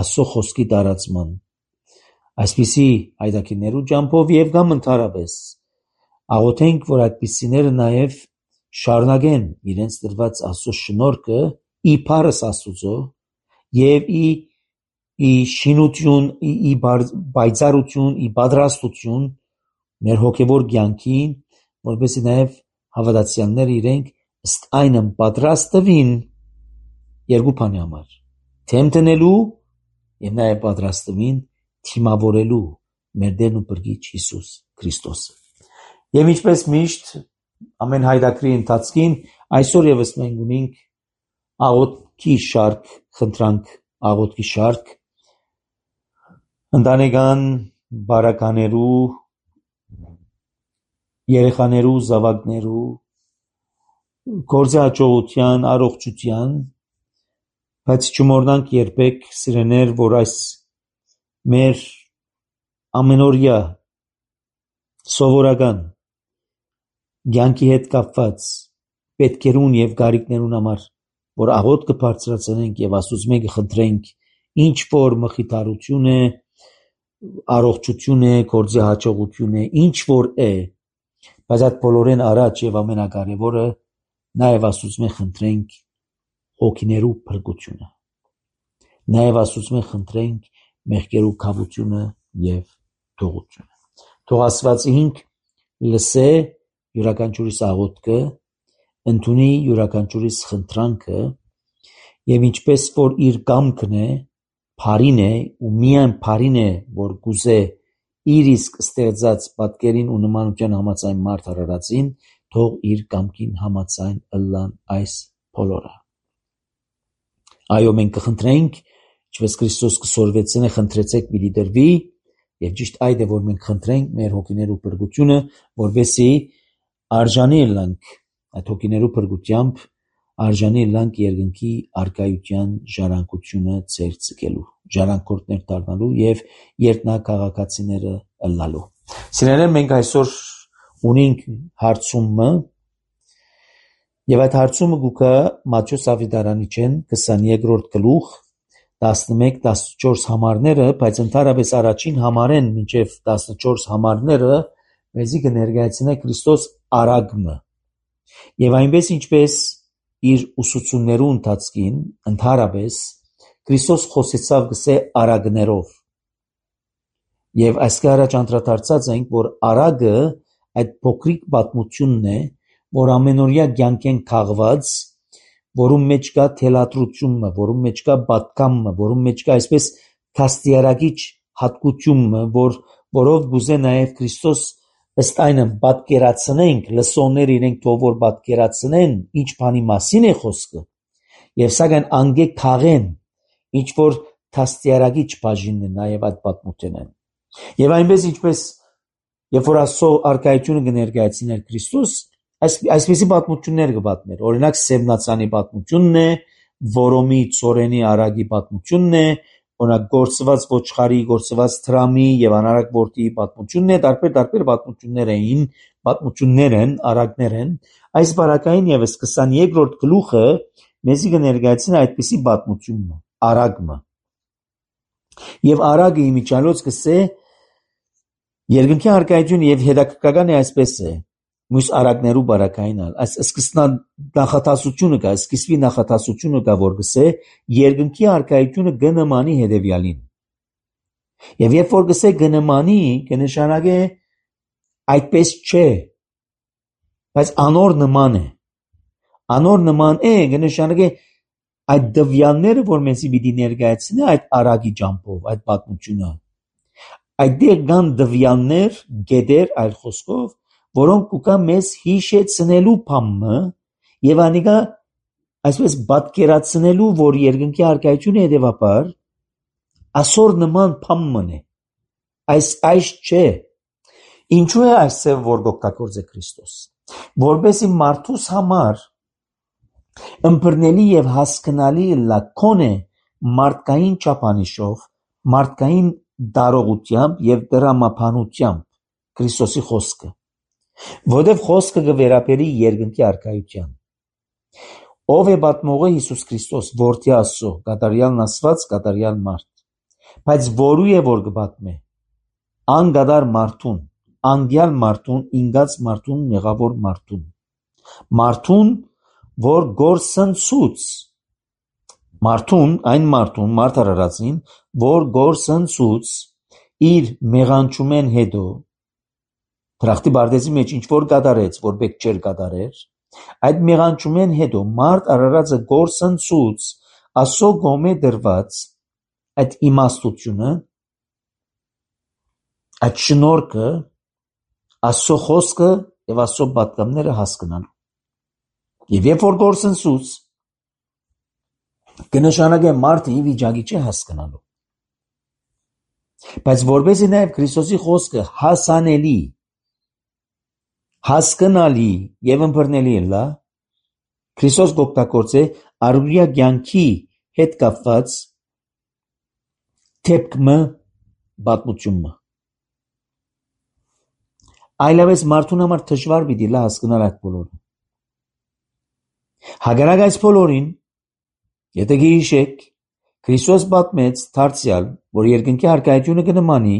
A: Աստծո խոսքի տարածման։ Այսպիսի հայդակիներու ջամփով եւ կամ ընդհանրապես աղոթենք, որ այդպիսիները նաեւ շարունակեն իրենց դրված Աստծո շնորհքը ի փառս Աստծո եւ ի շինություն, ի բայցարություն, ի պատրաստություն մեր հոգեվոր կյանքին, որպեսզի նաեւ հավատացյալները իրենք ըստ այնմ պատրաստ տվին երկու բանի համար, թեմ տնելու եւ նաեւ պատրաստ տվին թիմավորելու մեր Տերն ու Փրկիչ Հիսուս Քրիստոսը։ Եվ ինչպես միշտ ամեն հայդակրի ընթացքին այսօր եւս մենք ունենք աղոթքի շարք, խնդրանք աղոթքի շարք ընտանեկան բարականերու, երեխաներու, զավակներու, գործի հաջողության, առողջության, բայց չմոռնանք երբեք սիրեներ, որ այս մեր ամենօրյա սովորական կյանքի հետ կապված պետքերուն եւ գարիկներուն համար, որ աղոթք կբարձրացնենք եւ Աստծուց մենք խնդրենք ինչ որ մխիթարություն է, առողջություն է, գործի հաջողություն է, ինչ որ է, բայց այդ բոլորեն առաջ եւ ամենակարևորը նաեւ Աստծուց մենք խնդրենք հոգիներու փրկությունը։ Նաեւ Աստծուց մենք խնդրենք մեղքերու քավությունը եւ թողությունը։ Թող Աստված ինք լսե յուրաքանչյուրիս աղոթքը, ընդունի յուրաքանչյուրիս խնդրանքը եւ ինչպես որ իր կամքն է, բարին է ու միայն բարին է, որ գուզե իր իսկ ստեղծած պատկերին ու նմանության համաձայն մարդ արարածին, թող իր կամքին համաձայն ըլլան այս բոլորը։ Այո, մենք կխնդրենք, ինչպես Քրիստոս կսորվեցնե, խնդրեցեք պիտի դրվի, եւ ճիշտ այդ է, որ մենք խնդրենք մեր հոգիներու փրկությունը, որովհետեւ արժանի լանք այդ հոգիներու փրկությամբ արժանի լանք երկնքի արկայության ժառանգությունը ծեր ցկելու, ժառանգորդներ դառնալու եւ երկնակաղակացիները ըլլալու։ Սիրելիներ, մենք այսօր ունենք հարցումը եւ այդ հարցումը գուկա Մատթեոս Ավետարանիչեն 22-րդ գլուխ 11-14 համարները, բայց ընդհանրապես առաջին համարեն մինչեւ 14 համարները մեզի կներկայացնե Քրիստոս արագմը եւ այնպես ինչպես իր ուսուցումներու ընթացքին ընդհանրապես Քրիստոս խոսեցավ գսե արագներով եւ այսքան առաջ անդրադարձած ենք, որ արագը այդ փոքրիկ պատմությունն է, որ ամենօրյա կյանքեն քաղված, որում մեջ կա թելադրությունը, որում մեջ կա պատկամը, որում մեջ կա այսպես կաստիարակիչ հատկությունը, որով գուզե նաև Քրիստոս ըստ այնը պատկերացնենք, լսողներ իրենք թող որ պատկերացնեն, ինչ բանի մասին է խոսքը, եւ սակայն անգե քաղեն, ինչ որ կաստիարակիչ բաժինն է նաև այդ պատմությունն։ Եվ այնպես ինչպես երբ որ Աստծո արքայությունը կներկայացներ Քրիստոս, այսպիսի պատմություններ կպատմեր։ Օրինակ Սևնացանի պատմությունն է, Որոմի ծորենի արագի պատմությունն է, օրինակ գործված ոչխարի, գործված թրամի եւ անարակ որդիի պատմությունն է, տարբեր պատմություններ են, արագներ են։ Այս բարակային եւս 22-րդ գլուխը մեզի կներկայացնի այդպիսի պատմությունը, արագը։ Եվ արագը իմիջալոց կսե երկնքի արքայություն եւ հետաքրքրական է այսպես է։ Մյուս արագներու բարակային այս սկսնան նախատասությունը կա, սկիզբի նախատասությունը կա, որ գսե երկնքի արքայությունը գնմանի հետևյալին։ Եվ երբ որ գսե գնմանի, կնշանակե այդպես չէ, բայց անոր նման է։ Անոր նման է, կնշանակե այդ դվյալները, որ մեզի պիտի ներկայացնի այդ արագի ջամփով, այդ պատմությունը։ Այդտեղ կան դվյալներ, գետեր, այլ խոսքով, որոնք կուկա մեզ հիշեցնելու բամը եւ անիկա այսպես պատկերացնելու, որ երկնքի արքայությունը հետեւաբար ասոր նման բամն է։ Այս չէ։ Ինչու է այսպես որ գոկտակորձե Քրիստոս, որբեսի մարդուս համար ըմբռնելի եւ հասկանալի լակոնե մարդկային չափանիշով, մարդկային դարողությամբ եւ դրամապանությամբ Քրիստոսի խոսքը, որովհետեւ խոսքը կվերապերի երկնքի արքայության։ Ով է պատմողը Հիսուս Քրիստոս, որդի Աստծո, կատարյալն Աստված, կատարյալ մարդ, բայց որու է որ կպատմե, անգադար մարդուն, անգյալ մարդուն, ինգած մարդուն, մեղավոր մարդուն, որ գործընծուց, այն մարդուն, մարդ արարածին, որ գործընծուց իր մեղանչումեն հետո, դրախտի բարձի մեջ ինչ որ կատարեց, որ բեք չեր կատարեր, այդ մեղանչումեն հետո մարդ արարածը գործընծուց Աստծո կողմէ դրված այդ իմաստությունը, այդ շնորհքը, Աստծո խոսքը եւ Աստծո պատգամները հասկանալու։ Եվ երբ որ գործընծուց կնշանակե մարդը ի վիճակի չէ հասկանալու։ Բայց որբեսի նաև Քրիստոսի խոսքը հասանելի, հասկանալի եւ ըմբռնելի լա, Քրիստոս գոկտակորձե առօրյա կյանքի հետ կապված թեփքը պատմությունը։ Այլևս մարդուն համար դժվար պիտի լա հասկանալ այդ բոլորը։ Հակառակ այս բոլորին, եթե գիշեք, Քրիստոս պատմեց դարձյալ, որ երկնքի արքայությունը կնմանի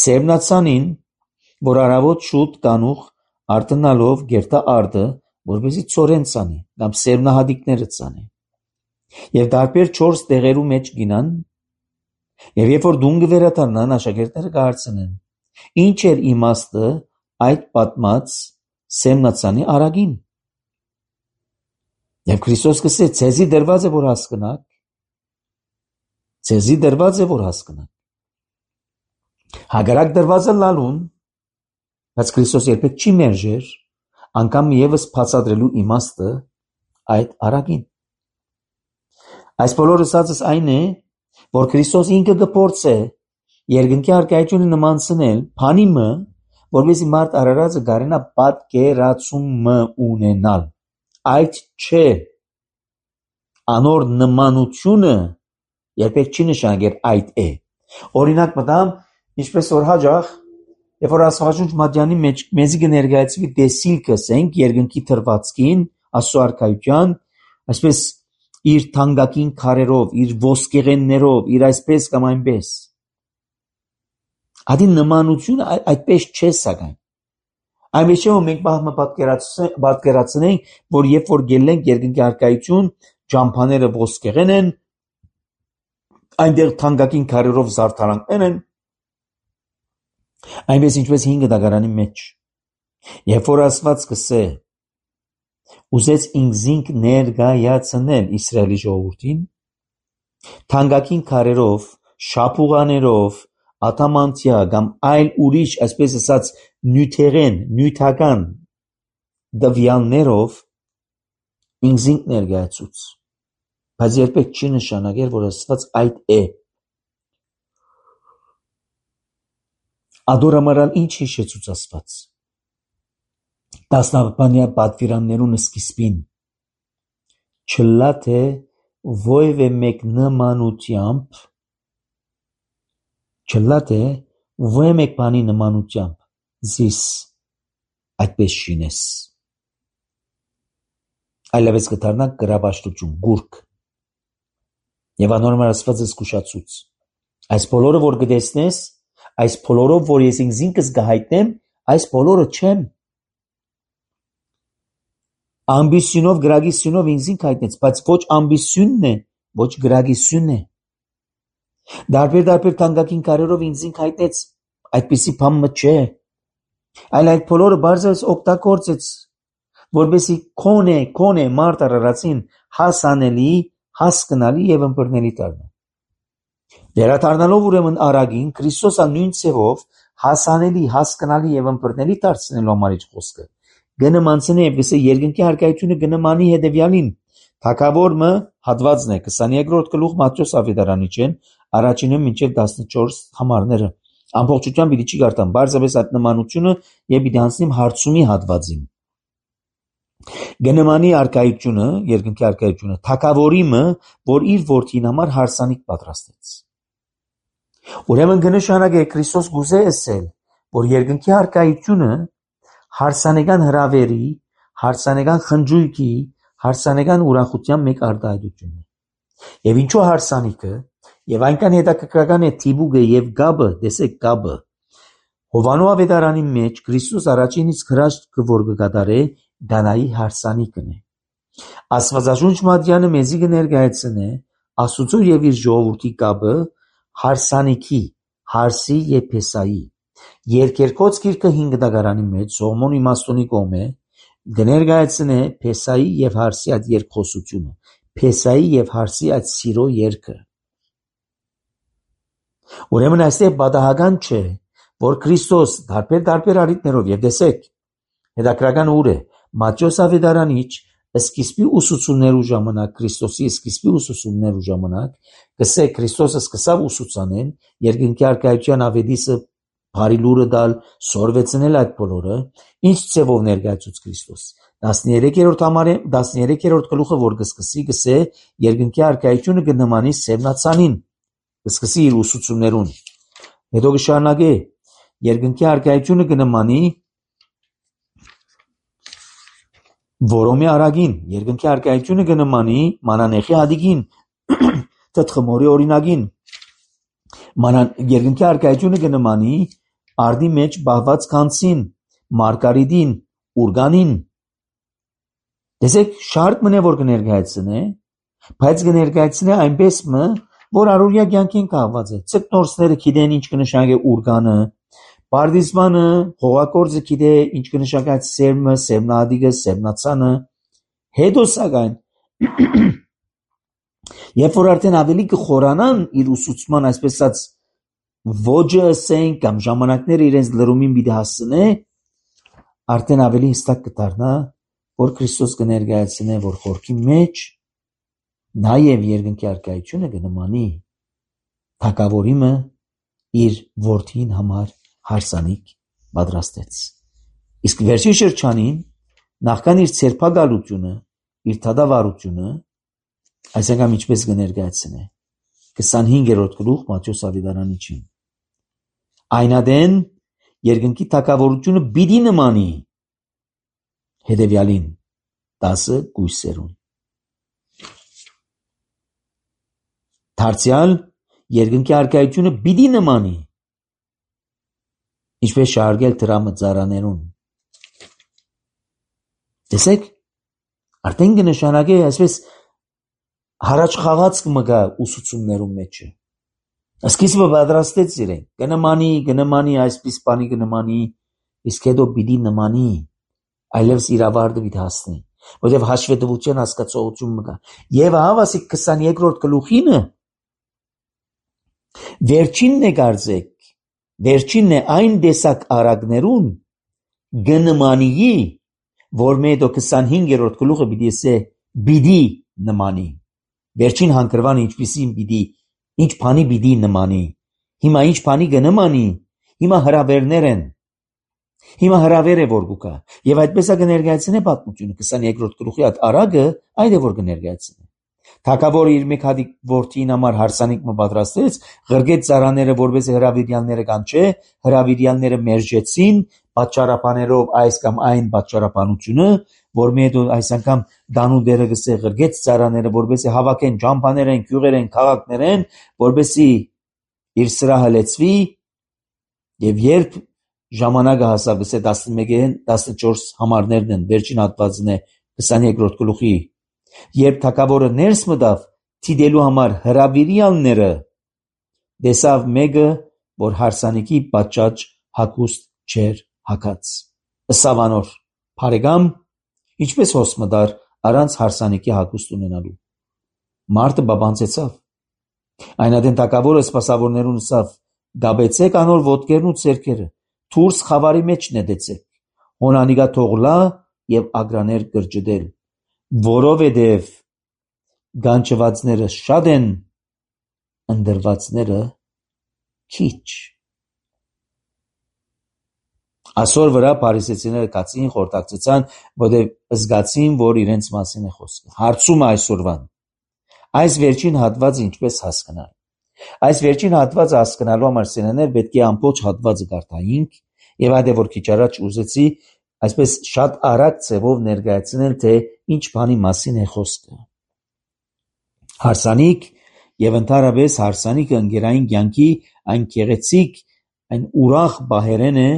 A: Սևնացանին, որ առավոտ շուտ կանուխ արտնալով գերտա արդը, որպեսզի ծորեն ցանի, կամ սերմնահատիկները ցանի։ Եվ տարբեր 4 տեղերու մեջ գինան, եւ երբ որ դուն կվերադառնան, աշակերտները կհարցնեն. ինչ էր իմաստը այդ պատմած Սեմնացանի արագին։ Եվ Քրիստոս կսե, ցեզի դրված է որ հասկանաք, ցեզի դրված է որ հասկանաք։ Հակառակ դրվածը լալուն, բայց Քրիստոս երբեք չի մերժեր, անգամ եւս բացատրելու իմաստը այդ արագին։ Այս բոլորը ասածս այն է, որ Քրիստոս ինքը կփորձե երկնքի արքայությունը նմանցնել բանիմը, որովհետեւ մարդ արարածը գարենա պատկերացումը ունենալ։ Այդ չէ, անոր նմանությունը երբեք չի նշանակել այդ է։ Օրինակ մտամ, ինչպես որ հաջող, երբ որ Աստվածաշունչ Մատյանի մեջ մեզի կներկայացվի դեսիլքը ասենք երկնքի թրվածքին, Աստծո արքայության, այսպես իր թանկագին քարերով, իր ոսկեղեններով, իր այսպես կամ այնպես։ Ադի նմանությունը այդպես չէ սակայն։ Այնպես չէ, որ մենք պատկերացնենք, որ երբ որ գելենք երկնքի արքայություն, ջամփաները ոսկեղեն են, այնտեղ թանկագին քարերով զարդարանքներ են, այնպես ինչպես 5 դագարանի մեջ։ Երբ որ Աստված կսե, ուզեց ինքզինք ներկայացնել Իսրայելի ժողովրդին, թանկագին քարերով, շապուղաներով, ադամանդյա կամ այլ ուրիշ, այսպես ասած, նյութական դվյալներով ինքզինք ներկայացուց, բայց երբեք չի նշանակել, որ Աստված այդ է։ Ադորամարալ ինչ հիշեցուց Աստված։ Տասնապանյա պատվիրաններուն սկիզբին չլա թե ովևէ մեկ բանի նմանությամբ զիս այդպես շինես, այլևս կդառնա գրաբաշխություն, գուրք։ Եվ անորմալ Աստված զգուշացուց։ Այս բոլորը, որ կտեսնես, այս բոլորով, որ ես ինքս կհայտնեմ, այս բոլորը չեմ։ Ամբիսյունով, գրագիսյունով ինքզինք հայտնեց, բայց ոչ ամբիսյունն է, ոչ գրագիսյունն է։ Դարբեր թանկագին քարերով ինքզինք հայտնեց, այդպիսի բան չէ։ Այլ այդ բոլորը բարձրացած օգտագործեց, որպեսզի քոնե մարդ արարածին հասանելի, հասկանալի եւ ըմբռնելի դառնա։ Վերադառնալով ուրեմն արագին Քրիստոսը նույն ցևով հասանելի, հասկանալի եւ ըմբռնելի դարձնելու համար իր խոսքը գնմանցնի եւ գսե երկնքի հարկայությունը գնմանի հետեւյալին։ Թագավորը հատվածն է 22-րդ գլուխ Մատթեոս ավետարանիչեն առաջինը մինչև 14 համարները ամբողջությամբ պիտի չի գարտամ բարձրապես այդ նմանությունը եւ պիտի անցնիմ հարցումի հատվածին։ Գնմանի հարկայությունը, երկնքի հարկայությունը թագավորիմը, որ իր որդին համար հարսանիք պատրաստեց։ Ուրեմն կնշանակե Քրիստոս գուզե ասել, որ երկնքի հարկայությունը հարսանեկան հրավերի, հարսանեկան խնջույքի, հարսանեկան ուրախության մեկ արտահայտությունն է։ Եվ ինչու հարսանիքը, եւ այնքան հետաքրքրական է թիբուգը եւ գաբը, տեսեք գաբը։ Հովանու ավետարանի մեջ Քրիստոս առաջին իսկ հրաշքը, որ կկատարե, Գանայի հարսանիքն է։ Աստվածաշունչ Մատյանը մեզի կներկայացնե Աստծո եւ իր ժողովրդի գաբը հարսանիքի, հարսի եւ փեսայի։ Երկերկոց գիրքը 5 դագարանի մեջ Սողոմոն իմաստունի կողմէ կներկայացնե փեսայի եւ հարսի այդ երկխոսությունը, փեսայի եւ հարսի այդ սիրո երգը։ Ուրեմն այստեղ պատահական չէ, որ Քրիստոս տարբեր առիթներով եւ տեսեք հետաքրական ուր է Մատթեոս ավետարանիչ սկիզբի ուսուցումներու ժամանակ Քրիստոսի սկիզբի ուսուցումներու ժամանակ գսե Քրիստոսը սկսավ ուսուցանել երկնքի հարկայության ավետիսը բարի լուրը դալ սորվեցնել այդ բոլորը ինչ ծևով ներկայացուց Քրիստոս 13-րդ գլուխը որ կսկսի գսե երկնքի հարկայությունը կնմանի սևնացանին կսկսի իր ուսուցումներուն հետո կշարունակե երկնքի հարկայությունը կնմանի որոմի արագին երկնքի հարկայությունը կնմանի մանանեխի հադիկին թթխմորի օրինագին երկնքի հարկայությունը կնմանի արդի մեջ բահված կանցին մարգարիտին ուրգանին տեսեք շարք մնե որ կներկայացնե բայց կներկայացնե այնպես որ առօրյա կյանքին կահված է ցկնորսները գիտեն ինչ կնշանակե ուրգանը Պարտիզմանը հողակորձը գիտե ինչ կնշանակե սերմը, սերմնադիգը, սերմնացանը, հետո սակայն երբ որ արդեն ավելի կխորանան իր ուսուցման այսպես ասած ոճը ասենք կամ ժամանակները իրենց լրումին պիտի հասնե, արդեն ավելի հստակ կդառնա, որ Քրիստոս կներկայացնե, որ խորքի մեջ նաև երկնքի հարկայությունը կնմանի թագավորիմը իր որդին համար հարսանիք պատրաստեց։ Իսկ վերջի շրջանին նախքան իր ցերպակալությունը, իր թադավարությունը, այսինքն ինչպես կներկայացնե 25-րդ գլուխ Մատթեոս ավետարանիչին։ Այնադեն երկնքի թագավորությունը պիտի նմանի հետևյալին 10 գույսերուն։ Դարձյալ երկնքի հարկայությունը պիտի նմանի ինչպես շարժել դրամը ծառաներուն։ Տեսեք, արդեն կնշանակե այսպես հարաճ խաղացք մգա ուսուցումներում մեջը։ Սկիզբը պատրաստեց իրեն, կնմանի, այսպես բանի կնմանի, իսկ հետո պիտի նմանի, այլևս իր ավարտը պիտի հասնի։ որտեղ հաշվետվության հասկացողություն մգա։ Եվ հավասիկ 22-րդ գլուխինը վերջինն է գարձեք, վերջինն է այն դեսակ արագներուն գնմանիի, որ մեդո 25-րդ գլուխը բիդի նմանի։ Վերջին հանգրվանը ինչպիսին բիդի, ինչ բանի բիդի նմանի։ Հիմա ինչ բանի գնմանի, հիմա հրավերներ են։ Հիմա հրավեր է որ գուկա, եւ այդպես է կներկայացնե պատմությունը 22-րդ գլուխի այդ արագը այդ է որ կներկայացնե։ Թագավորը իր մեկ հատիկ որդին համար հարսանիք մը պատրաստեց, ղրգեց ծառաները որպես հրավիրյալները կանչե, հրավիրյալները մերժեցին պատճառաբաներով այս կամ այն պատճառաբանությունը, որ մեդո այս անգամ դանուդերը գսե ղրգեց ծառաները որպես հավաքեն ջամփաներեն, գյուղերեն, քաղաքներեն, որպեսի իր սրահը լեցվի եւ երբ ժամանակը հասավ գսե 11-ին 14 համարներն են վերջին հատվածն է 22-րդ գլուխի երբ թագավորը ներս մտավ թիդելու համար հրավիրյալները դեսավ մեկը որ հարսանիքի պատճաճ հագուստ չեր հագած ըսավ անոր բարեկամ ինչպես հոս մտար առանց հարսանիքի հագուստ ունենալու մարդը բաբանցեցավ այնադեն թագավորը սպասավորներուն ասավ գաբեցեք անոր ոտքերն ու ցերքերը Թուրս խավարի մեջ նետեցեք, հոնանիգա թողլա և ագրաներ կրջդել, որովհետև գանչվածները շատ են, ընդրվածները քիչ։ Այսօր վրա փարիսեցիները կացին, խորտակցեցան, որտեղ զգացին, որ իրենց մասին է խոսքը։ Հարցում այսօրվան։ Այս վերջին հատվածը ինչպես հասկանալ։ Այս վերջին հատվածը հասկանալու համար սենաներ պետք է ամբողջ հատվածը կարդայինք եւ այդ է որ քիչ առաջ ուզեցի այսպես շատ արագ ձևով ներկայացնել թե ինչ բանի մասին է խոսքը հարսանիք եւ ընդհանրապես հարսանիքը ընկերային կյանքի այն գեղեցիկ այն ուրախ բահերեն է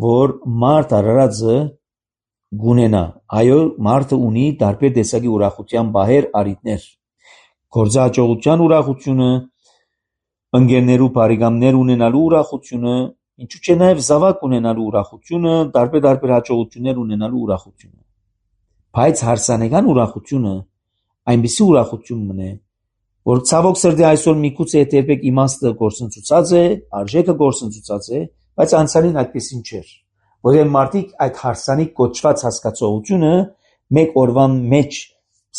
A: որ մարդ արարածը գունենա այո մարդը ունի տարբեր տեսակի ուրախության բահեր արիտներ գործաճողության ուրախությունը ընկերներու բարեկամներ ունենալու ուրախությունը ինչու՞ չէ նաև զավակ ունենալու ուրախությունը տարբեր հաջողություններ ունենալու ուրախությունը բայց հարսանեկան ուրախությունը այնպիսի ուրախություն մնե որ ցավոք սրտի այսօր միգուցե երբեք իմաստը գործընծուցած է արժեքը գործընծուցած է բայց անցյալին այդպեսին չէր որովհետև մարդիկ այդ հարսանիք կոչված հասկացողությունը մեկ օրվան մեջ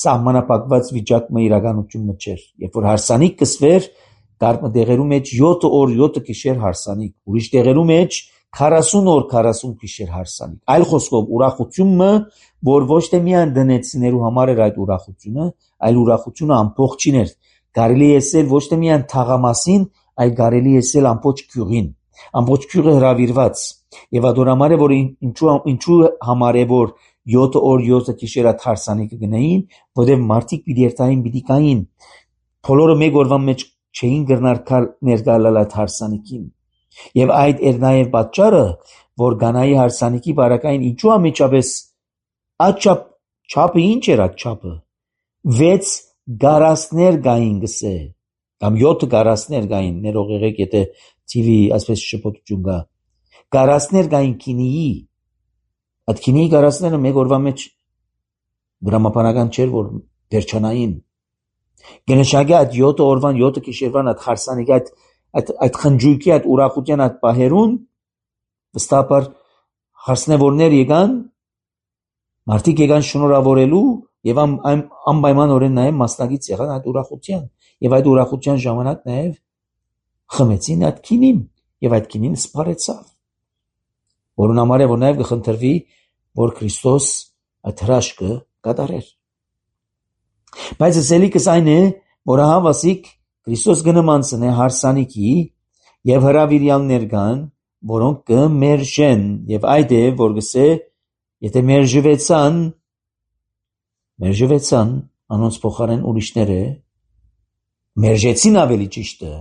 A: սահմանապակված վիճակը իրականությունը չէր երբ որ հարսանիք կսվեր Կարմը դեղերու մեջ 7 օր 7 գիշեր հարսանիք, ուրիշ դեղերու մեջ 40 օր 40 գիշեր հարսանիք։ Այլ խոսքով ուրախությունը, որ ոչ թե միայն դնեցիներու համար էր այդ ուրախությունը, այլ ուրախությունը ամբողջին էր։ Կարելի է ասել ոչ թե միայն թաղամասին, այլ կարելի է ասել ամբողջ գյուղին։ Ամբողջ գյուղը հրավիրված։ Եվ ադորամար է որ ինչու համար է որ 7 օր 7 գիշեր հարսանիքը գնային, որովհետև մարդիկ պիտի երթային պիտի կային։ Բոլորը մեկ օրվան մեջ չէին գրնար ներկայալալ այդ հարսանիքին։ Եվ այդ էր նաև պատճառը, որ Գանայի հարսանիքի բարակային ինչու ամիջապես այդ չափը ինչ էր այդ չափը։ 6 գարասներ գային գսե, կամ 7 գարասներ գային, ներող եղեք, եթե TV այսպես շփոթություն կա։ Գարասներ գային քինիի։ Այդ քինիի գարասները մեկ օրվա մեջ դրամապանական չէր, որ վերջանային։ Գնշագի այդ 7 օրվան 7 գիշերվան այդ հարսանիքի այդ խնջույքի այդ ուրախության այդ պահերուն վստահաբար հարսնևորներ եկան մարդիկ եկան շնորհավորելու եւ անպայմանորեն նաեւ մասնակից եղան այդ ուրախության եւ այդ ուրախության ժամանակ նաեւ խմեցին այդ քինին եւ այդ քինին սփարեցավ որուն համար է որ նաեւ կխնդրվի որ Քրիստոս այդ հրաշքը կատարեր բայց ասելիքս այն է որ հավասիկ Քրիստոս գնմանցն է հարսանիքի եւ հրավիրյալներ կան որոնք կմերժեն եւ այդ է որ գսե եթե մերժվեցան անոնց փոխարեն ուրիշները մերժեցին ավելի ճիշտը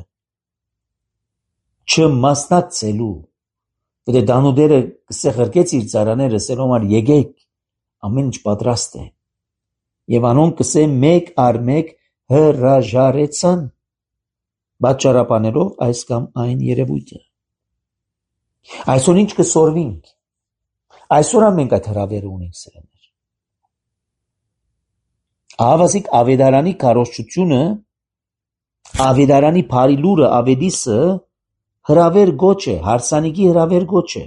A: չմասնակցելու որը դանուդերը գսե ղրկեց իր ծառաները սերոմար եկեք ամեն ինչ պատրաստ է եւ անոնք գսե մեկ առ մեկ հրաժարեցան պատճառաբանելով այս կամ այն երևույթը այսօր ինչ կսորվինք այսօր մենք այդ հրավերը ունենք սրաներ Ահավասիկ ավետարանի քարոզչությունը, ավետարանի բարի լուրը, ավետիսը հրավեր գոչ է, հարսանիքի հրավեր գոչ է։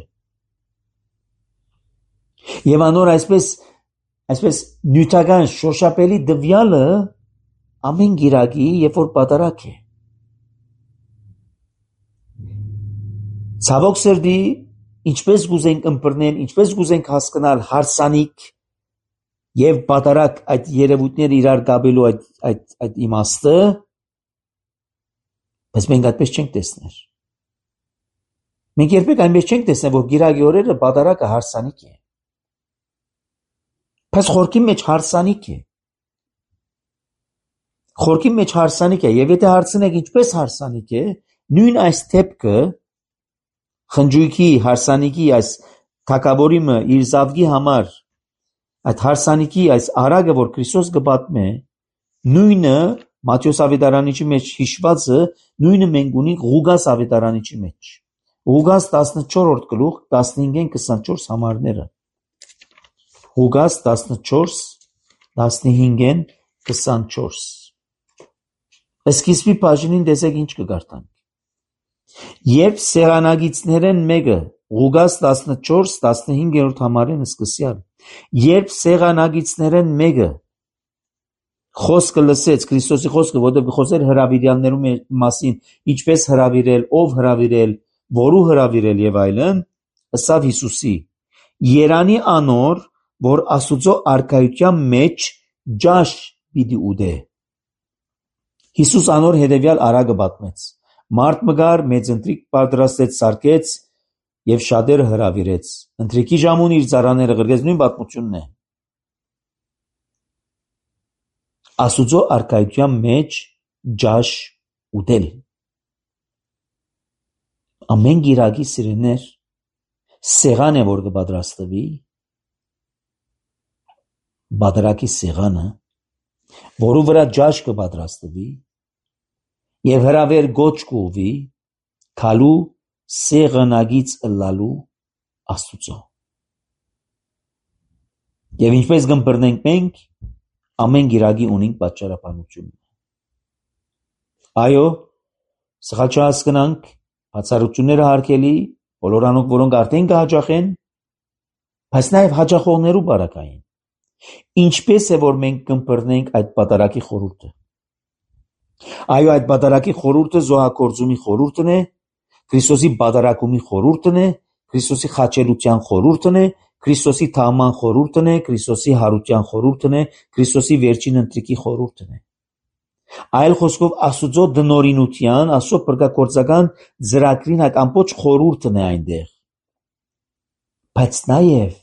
A: Եվ անոր այսպես նյութական շոշափելի դվյալը ամեն գիրակի, երբ որ պատարակ է։ Ցավոք սրտի, ինչպես գուզենք ըմբռնել, ինչպես գուզենք հասկանալ հարսանիք եւ պատարակ այդ երևույթները իրար գաբելու այդ իմաստը, բայց մենք այդպես չենք տեսնել։ Մենք երբեք այնպես չենք տեսնել, որ գիրակի օրերը պատարակը հարսանիք է։ Բայց խորքի մեջ հարսանիք է։ Խորքի մեջ հարսանիք է, եւ եթե հարցնեք ինչպես հարսանիք է, նույն այս թեփքը խնջույքի հարսանիքի այս թակավորիմը իր զավգի համար այդ հարսանիքի այս արագը, որ Քրիստոս կպատմե, նույնը Մատթեոս ավետարանիչի մեջ հիշվածը, նույնը մենք ունենք Ղուգաս ավետարանիչի մեջ։ Ղուգաս 14-րդ գլուխ 15-24 համարները։ Ղուգաս 14 15-24։ Սկիզբի բաժինին տեսեք ինչ կգարտանք։ Երբ սեղանագիցներեն մեկը, Ղուգաս 14-15-րդ համարեն սկսյալ, երբ սեղանագիցներեն մեկը խոսքը լսեց, Քրիստոսի խոսքը, որտեղ խոսեր հրավիրյալներու մասին, ինչպես հրավիրել, ով հրավիրել, որու հրավիրել եւ այլն, ըսավ Հիսուսի. Երանի անոր, որ Աստուծո արքայության մեջ ջաշ պիտի ուտե։ Հիսուս անոր հետևյալ արագը պատմեց. Մարդ մգար, մեծ ընթրիք պատրաստեց, սարքեց եւ շատերը հրավիրեց։ Ընթրիքի ժամուն իր ծառաները ղրկեց, նույն պատմությունն է։ Աստուծո արքայության մեջ ջաշ ուտել։ Ամեն գիրակի սիրեներ սեղան է, որ կպատրաստվի, բادرակի սեղանը, որու վրա ջաշ կպատրաստվի եւ հրավեր գոչ կուվի, քալու սեղանագից ըլլալու Աստուծո։ Եվ ինչպես կըմբռնենք մենք, ամեն գիրակի ունենք պատճառաբանություն։ Այո, սխալ չհասկանանք, բացառությունները հարկելի, բոլոր անոնք, որոնք արդեն կհաջախեն, բայց նաև հաջախողներու բարակային։ Ինչպես է, որ մենք կըմբռնենք այդ պատարակի խորհուրդը։ Այո, այդ պատարակի խորհուրդը զոհագործումի խորհուրդն է, Քրիստոսի պատարակումի խորհուրդն է, Քրիստոսի խաչելության խորհուրդն է, Քրիստոսի թաղման խորհուրդն է, Քրիստոսի հարության խորհուրդն է, Քրիստոսի վերջին ընթրիքի խորհուրդն է։ Այլ խոսքով Աստուծո դնորինության, Աստծո փրկագործական ծրագրին այդ ամբողջ խորհուրդն է այնտեղ։ Բայց նաև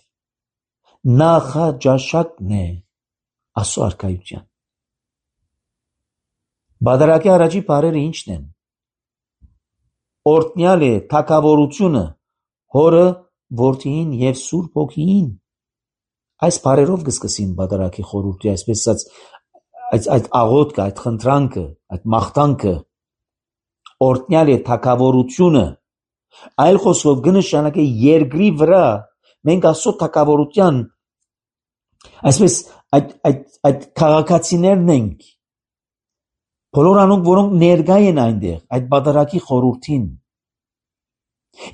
A: նախաճաշակն է Աստծո արքայության։ Բادرակի առաջի բառերը ի՞նչն են։ Օրտնյալ է թագավորությունը հորը, որդին եւ Սուրբ Հոգին։ Այս բառերով կսկսին բادرակի խորհուրդի, այսպես ասած այդ աղոթքը, այդ խնդրանքը, այդ մաղթանքը։ Օրտնյալ է թագավորությունը, այլ խոսքով կնշանակե երկրի վրա մենք Աստծո թագավորության այսպես այդ քաղաքացիներն ենք, բոլոր անոնք, որոնք ներկա են այնտեղ, այդ բادرակի խորհրդին։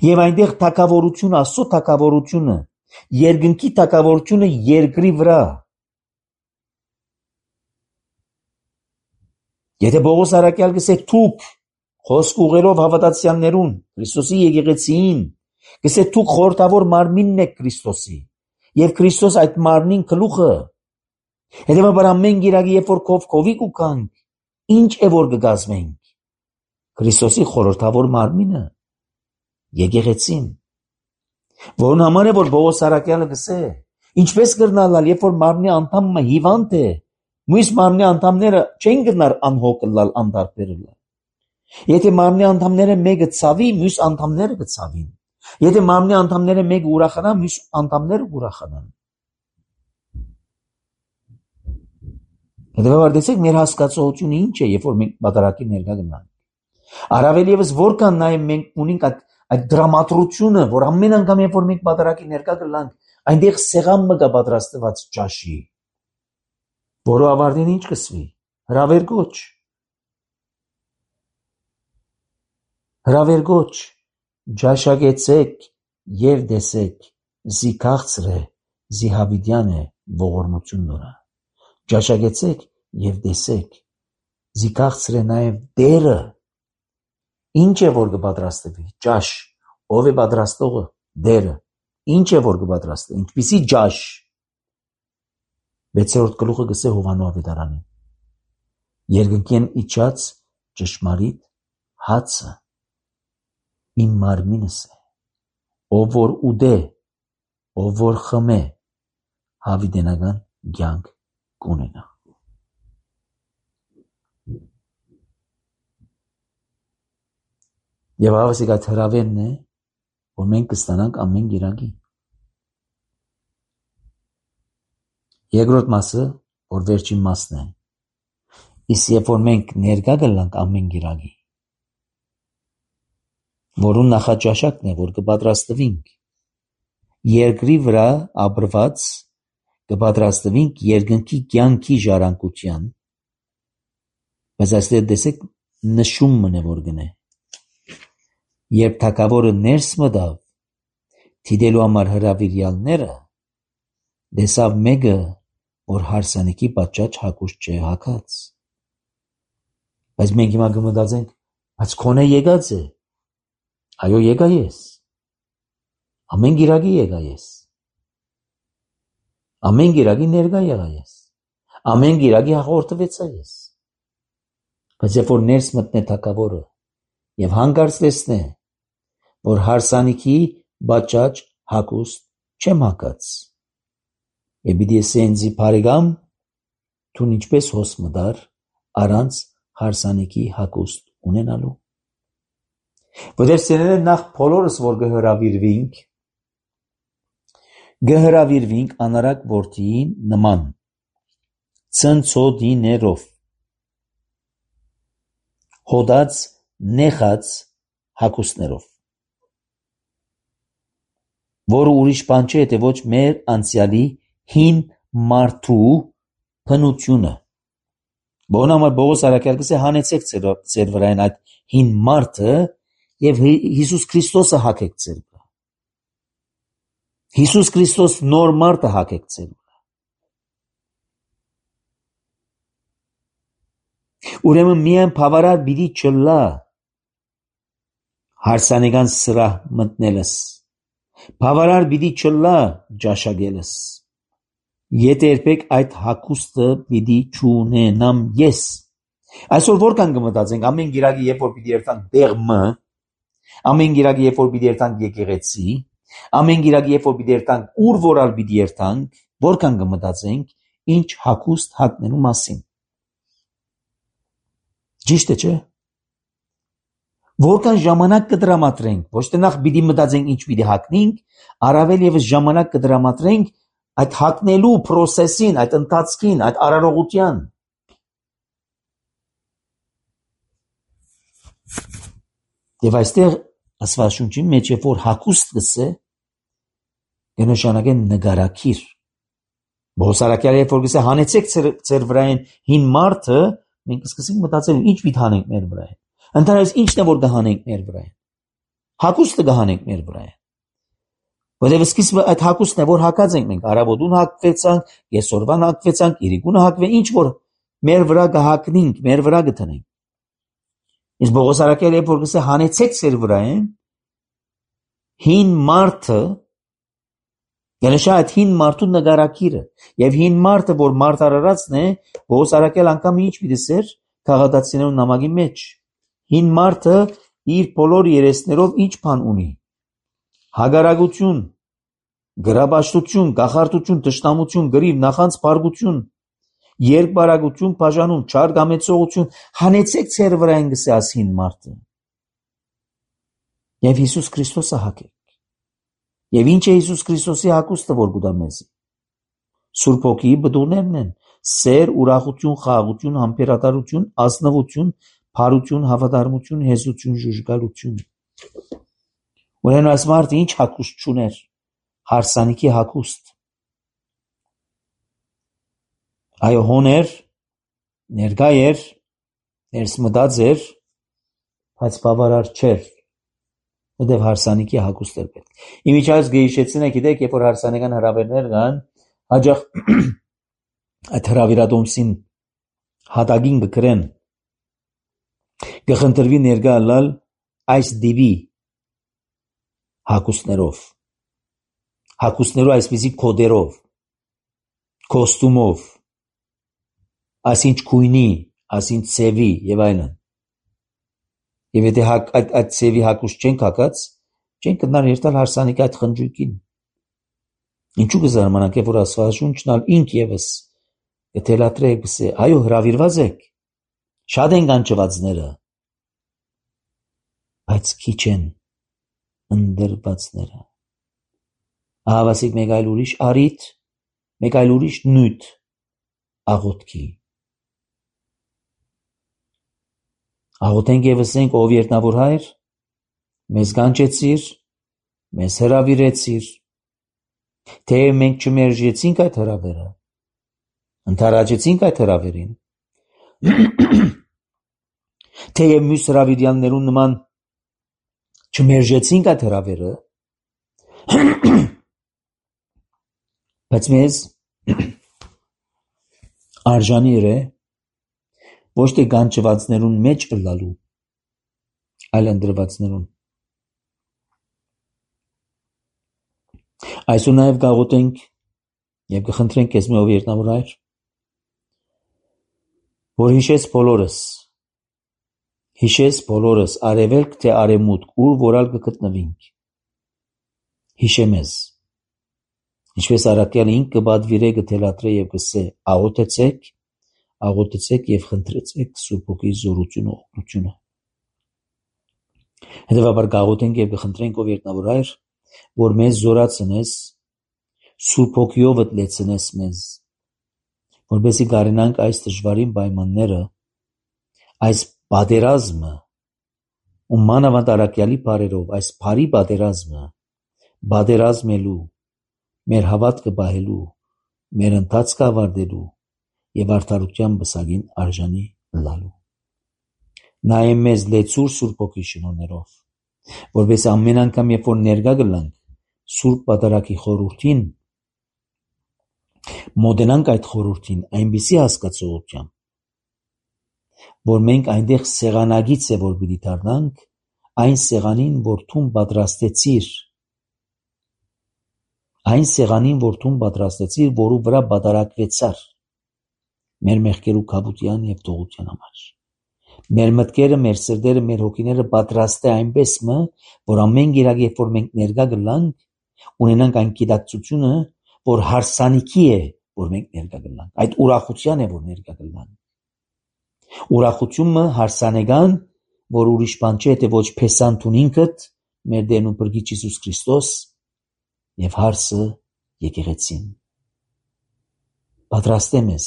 A: Եվ այնտեղ թագավորությունը, Աստծո թագավորությունը, երկնքի թագավորությունը երկրի վրա։ Եթե Պողոս առաքյալ գսե թուք խոսք ուղերով հավատացյալներուն, Քրիստոսի եկեղեցիին, գսե թուք խորհրդավոր մարմինն եք Քրիստոսի, եւ Քրիստոս այդ մարմնին գլուխը։ Հետևաբար ամեն գիրակի, երբ որ քովի կուքանք, ինչ է որ կգազմենք։ Քրիստոսի խորհրդավոր մարմինը, եկեղեցին, որն համար է որ Պողոս առաքյալը գսե, ինչպես կրնալալ, երբ որ մարմնի անդամը հիվանդ է, մյուս մարմնի անդամները չեն գնար անհոգ լալ անդարբերել։ Եթե մարմնի անդամները մեկը ցավի, մյուս անդամները կցավին։ Եթե մարմնի անդամները մեկը ուրախանա, մյուս անդամները կուրախանան։ Հետևաբար տեսեք մեր հասկացողությունը ինչ է, երբ որ մենք բادرակի ներկա գնանք։ Առավել եւս որքան նաեւ մենք ունենք այդ դրամատրությունը, որ ամեն անգամ երբ որ մենք բادرակի ներկա գնանք, այնտեղ սեղան մը կա պատրաստված ճաշի։ որը ավարտին ինչ կսվի, հրավերգոչ, ջաշագեցեք և դեսեք, զի քաղցր է, զի հավիտյան է ողորմություն նորը, ջաշագեցեք և դեսեք, զի քաղցր է նաև դերը, ինչ է որ կպատրաստվի, ջաշ, ով է պատրաստողը, դերը, ինչ է որ կպատրաստվի, ինչպիսի ջաշ, 6-րդ գլուխը գսե Հովանու ավետարանին, երկնքեն իջած ճշմարիտ հացը, իմ մարմինս է, ով որ ուդե, ով որ խմե, հավիտենական կյանք կունենա։ Եվ հավասիկ այդ հրավերն է, որ մենք կստանանք ամեն գիրակի։ Երկրորդ մասը, որ վերջին մասն է, իսկ երբ որ մենք ներկա կլանք ամեն գիրակի, որուն նախաճաշակն է, որ կպատրաստվինք, երկրի վրա ապրված կպատրաստվինք երկնքի կյանքի ժառանգության, բայց այստեղ տեսեք նշում մնե որ գնե, երբ թագավորը ներս մտավ թիդելու համար հրավիրյալները, տեսավ մեկը, որ հարսանիքի պատճաճ հագուստ չէ հագած, բայց մենք հիմա կմտածենք, բայց քոնե եկած է, այո եկա ես, ամեն գիրակի եկա ես, ամեն գիրակի ներկա եղա ես, ամեն գիրակի հաղորդվեցա ես, բայց երբ որ ներս մտնե թագավորը և հանկարծ տեսնե, որ հարսանիքի պատճաճ հագուստ չեմ հագած, և պիտի ասե ինձի բարեկամ, դու ինչպես հոս մտար առանց հարսանիքի հագուստ ունենալու, որտեղ սերերը նախ բոլորս որ կհրավիրվինք անարակ որդիի նման, ցնցոտիներով, հոդած նեխած հագուստներով, որը ուրիշ բան չէ, թե ոչ մեր անցյալի հին մարդու բնությունը, որն համար Պողոս առաքյալ գսե հանեցեք ձեր վրային այդ հին մարդը և Հիսուս Քրիստոսը հագեք ձեր վրա, Հիսուս Քրիստոս նոր մարդը հագեք ձեր վրա, ուրեմն միայն բավարար պիտի չլա հարսանեկան սրահ մտնելս, բավարար պիտի չլա ջաշակելս, եթե երբեք այդ հագուստը պիտի չունենամ ես, այսօր որքան կմտածենք ամեն գիրակի երբ որ պիտի երթանք դեղմը, ամեն գիրակի երբ որ պիտի երթանք եկեղեցի, ամեն գիրակի երբ որ պիտի երթանք ուր որալ պիտի երթանք, որքան կմտածենք ինչ հագուստ հագնելու մասին, ճիշտ է չէ, որքան ժամանակ կտրամադրենք, ոչ թե նախ պիտի մտածենք ինչ պիտի հագնենք, առավել ևս ժամանակ կտրամադրենք այդ հագնելու պրոսեսին, այդ ընթացքին, այդ արարողության, և այստեղ ասվածաշունչի մեջ երբ որ հագուստ գսե, կնշանակե նկարագիր, Պողոս առաքյալը երբ որ գսե հանեցեք ձեր վրային հին մարդը, մենք սկսենք մտածել ինչ պիտի հանենք մեր վրային, ընդհանրապես ինչն է որ կհանենք մեր վրային, հագուստը կհանենք մեր վրային, որտեղ սկիզբը այդ հագուստն է որ հագած ենք մենք, առավոտուն հագվեցանք, կեսօրվան հագվեցանք, իրիկունը հագվե, ինչ որ մեր վրա կհագնենք, մեր վրա կթնենք, իսկ Պողոս առաքյալը երբ որ գսե հանեցեք ձեր վրային հին մարդը, կնշա այդ հին մարդու նկարագիրը, և հին մարդը, որ մարդարարածն է, Պողոս առաքյալ անգամ ինչ պիտի ասեր քաղատացիներու նամակի մեջ, հին մարդը իր բոլոր երեսներով ինչ բան ունի, հագարագություն, գրաբաշխություն, կախարդություն, թշնամություն, գրիվ, նախանց փառքություն, երկբարագություն, բաժանում, չար կամեցողություն, հանեցեք ձեր վրային գսե աս հին մարդը, և Հիսուս Քրիստոսը հագեք, և ինչ է Հիսուս Քրիստոսի հագուստը որ կուտա մեզի, Սուրբ Հոգիի բդուներն են, սեր, ուրախություն, խաղաղություն, համբերատարություն, ազնվություն, փարություն, հավատարմություն, հեզություն, ժուժգալություն, ուրեմն այս մարդը ինչ հագուստ չուներ, հարսանիքի հագուստ, Այո, հոներ, ներկա էր, ներսմտած էր, բայց բավարար չէր, որտեղ հարսանիքի հագուստ էր պետք։ Իմիջայլոց գեհիշեցին եք, գիտեք, երբ որ հարսանեկան հրավերներ կան, հաջող այդ հրավիրատոմսին հատագին կգրեն, կխնդրվի ներկա ալալ այս դիվի հագուստներով այսպիսի կոդերով, կոստումով, այսինչ քույնի, այսինչ ծևի եւ այլն։ Եվ եթե այդ ծևի հագուստ չեն հագած, չեն կնար երթալ հարսանիքի այդ խնջույքին։ Ինչու կզարմանանք, որ Աստվածաշունչն ալ ինք եւս կթելադրե գսե, այո, հրավիրված եք, շատ են կանչվածները, բայց քիչ են ընդրվածները։ Ահավասիկ մեկ այլ ուրիշ արիթ, մեկ այլ ուրիշ նույթ աղոթքի։ Աղոթենք եւ ասենք, ով երտնավոր հայր, մեզ կանչեցիր, մեզ հրավիրեցիր, թեև մենք չմերժեցինք այդ հրավերը, ընդառաջեցինք այդ հրավերին, թեև մյուս հրավիրյալներուն նման չմերժեցինք այդ հրավերը, բայց մեզ արժանի է ոչ թե կանչվածներուն մեջ ըլլալու, այլ ընդրվածներուն։ Այսօր նաև կաղոթենք եւ կխնդրենք քեզ ով երտնավոր հայր, որ հիշես բոլորս արևելք թե արևմուտք, ուր որալ կգտնվինք, հիշե մեզ, ինչպես առաքյալը ինք կբադվիրե, կթելադրե եւ կսե, աղոթեցեք եւ խնդրեցեք Սուրբ Հոգի զորությունը, օգնությունը։ Հետևաբար կաղոթենք եւ կխնդրենք ով երտնավոր հայր, որ մեզ զորացնես, Սուրբ Հոգիով լեցնես մեզ, որպեսզի կարենանք այս դժվարին պայմանները, այս պատերազմը, ու մանավանդ առաքյալի բարերով, այս բարի պատերազմը պատերազմելու, մեր հավատքը պահելու, մեր ընթացքը ավարտելու եւ արդարության բսակին արժանի լալու։ Նայեմ մեզ լեցուր Սուրբ Հոգի շնորհներով, որպես ամեն անգամ, երբ որ ներկա գլանք Սուրբ Պատարագի խորհրդին, մոտենանք այդ խորհրդին այնպիսի հասկացողությամբ, որ մենք այնտեղ սեղանագից է, որ պիտի դառնանք, այն սեղանին, որ դու պատրաստեցիր, որու վրա պատարագվեցար մեր մեղքերու քավության եւ թողության համար։ Մեր մտքերը, մեր սրտերը, մեր հոգիները պատրաստ է այնպես մը, որ ամեն գիրակ, երբ որ մենք ներկա գլանք, ունենանք այն գիտակցությունը, որ հարսանիքի է, որ մենք ներկա գլանք, այդ ուրախության է, որ ներկա գլանք։ Ուրախությունը հարսանեկան, որ ուրիշ բան չէ, թե ոչ փեսանտուն ինքդ, մեր Տերն ու Փրկիչ Հիսուս Քրիստոս եւ հարսը եկեղեցին։ Պատրաստե մեզ,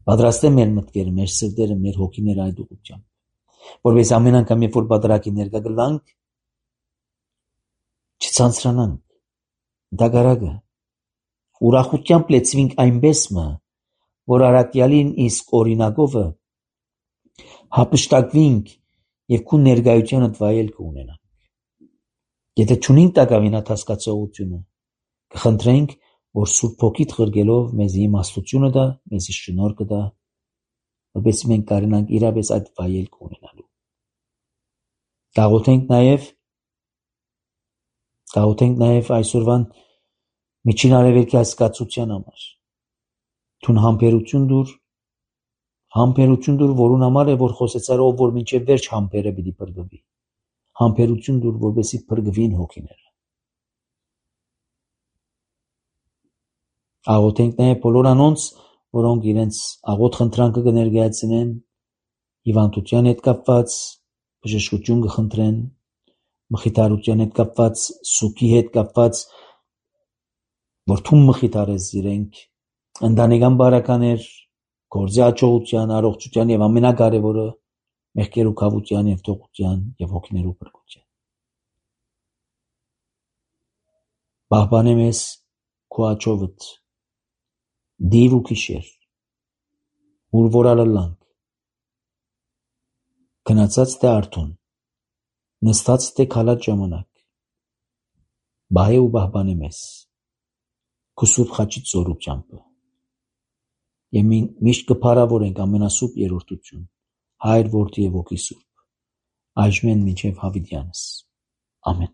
A: պատրաստե մեր մտքերը, մեր սրտերը, մեր հոգիները այդ ուղղությամբ, որպես ամեն անգամ, երբ որ պատարագի ներկա գլանք, չցանցրանանք, դագարակը, ուրախությամբ լեցվինք այնպես մը, որ առաքյալին իսկ օրինակովը հափշտակվինք եւ քու ներկայությանդ վայելք ունենանք։ Եթե չունենք տակավին այդ հասկացողությունը, կխնդրենք, որ Սուրբ Հոգիդ խրգելով մեզ իմաստությունը տա, մեզ շնորհքը տա, որպես մենք կարենանք իրապես այդ վայելք ունենալու։ Կաղոթենք նաև այսօրվան միջին արևելքի հասկացության համար։ Թուն համբերություն դուր, որուն համար է, որ խոսեցար, ով որ մինչև վերջ համբերը պիտի փրկվի։ Համբերություն դուր, որպեսզի փրկվին հոգիները։ Աղոթենք նաև բոլոր անոնց, որոնք իրենց աղոթ խնդրանքը կներկայացնեն, հիվանդության հետ կապված, բժշկություն կխնդրեն, մխիթարության հետ կապված, սուգի հետ կապված, որ թուն մխիթարես իրենք, ընտանեկան բարականեր, գործի հաջողության, առողջության եւ ամենակարևորը մեղքերու քավության եւ թողության եւ հոգիներու փրկության։ Պահպանե մեզ քո աջովդ, դիր ու գիշեր, ուր որ ալլանք, գնացած թե արթուն, նստած թե քալած ժամանակ, բահե ու բահբանե մեզ, քու սուրբ խաչից զորությամբ, եւ միշտ կփարավորենք ամենասուրբ երրորդություն, Հայր, Որդի եւ Ոգի Սուրբ, այժմեն մինչեւ հավիտյանս, ամեն։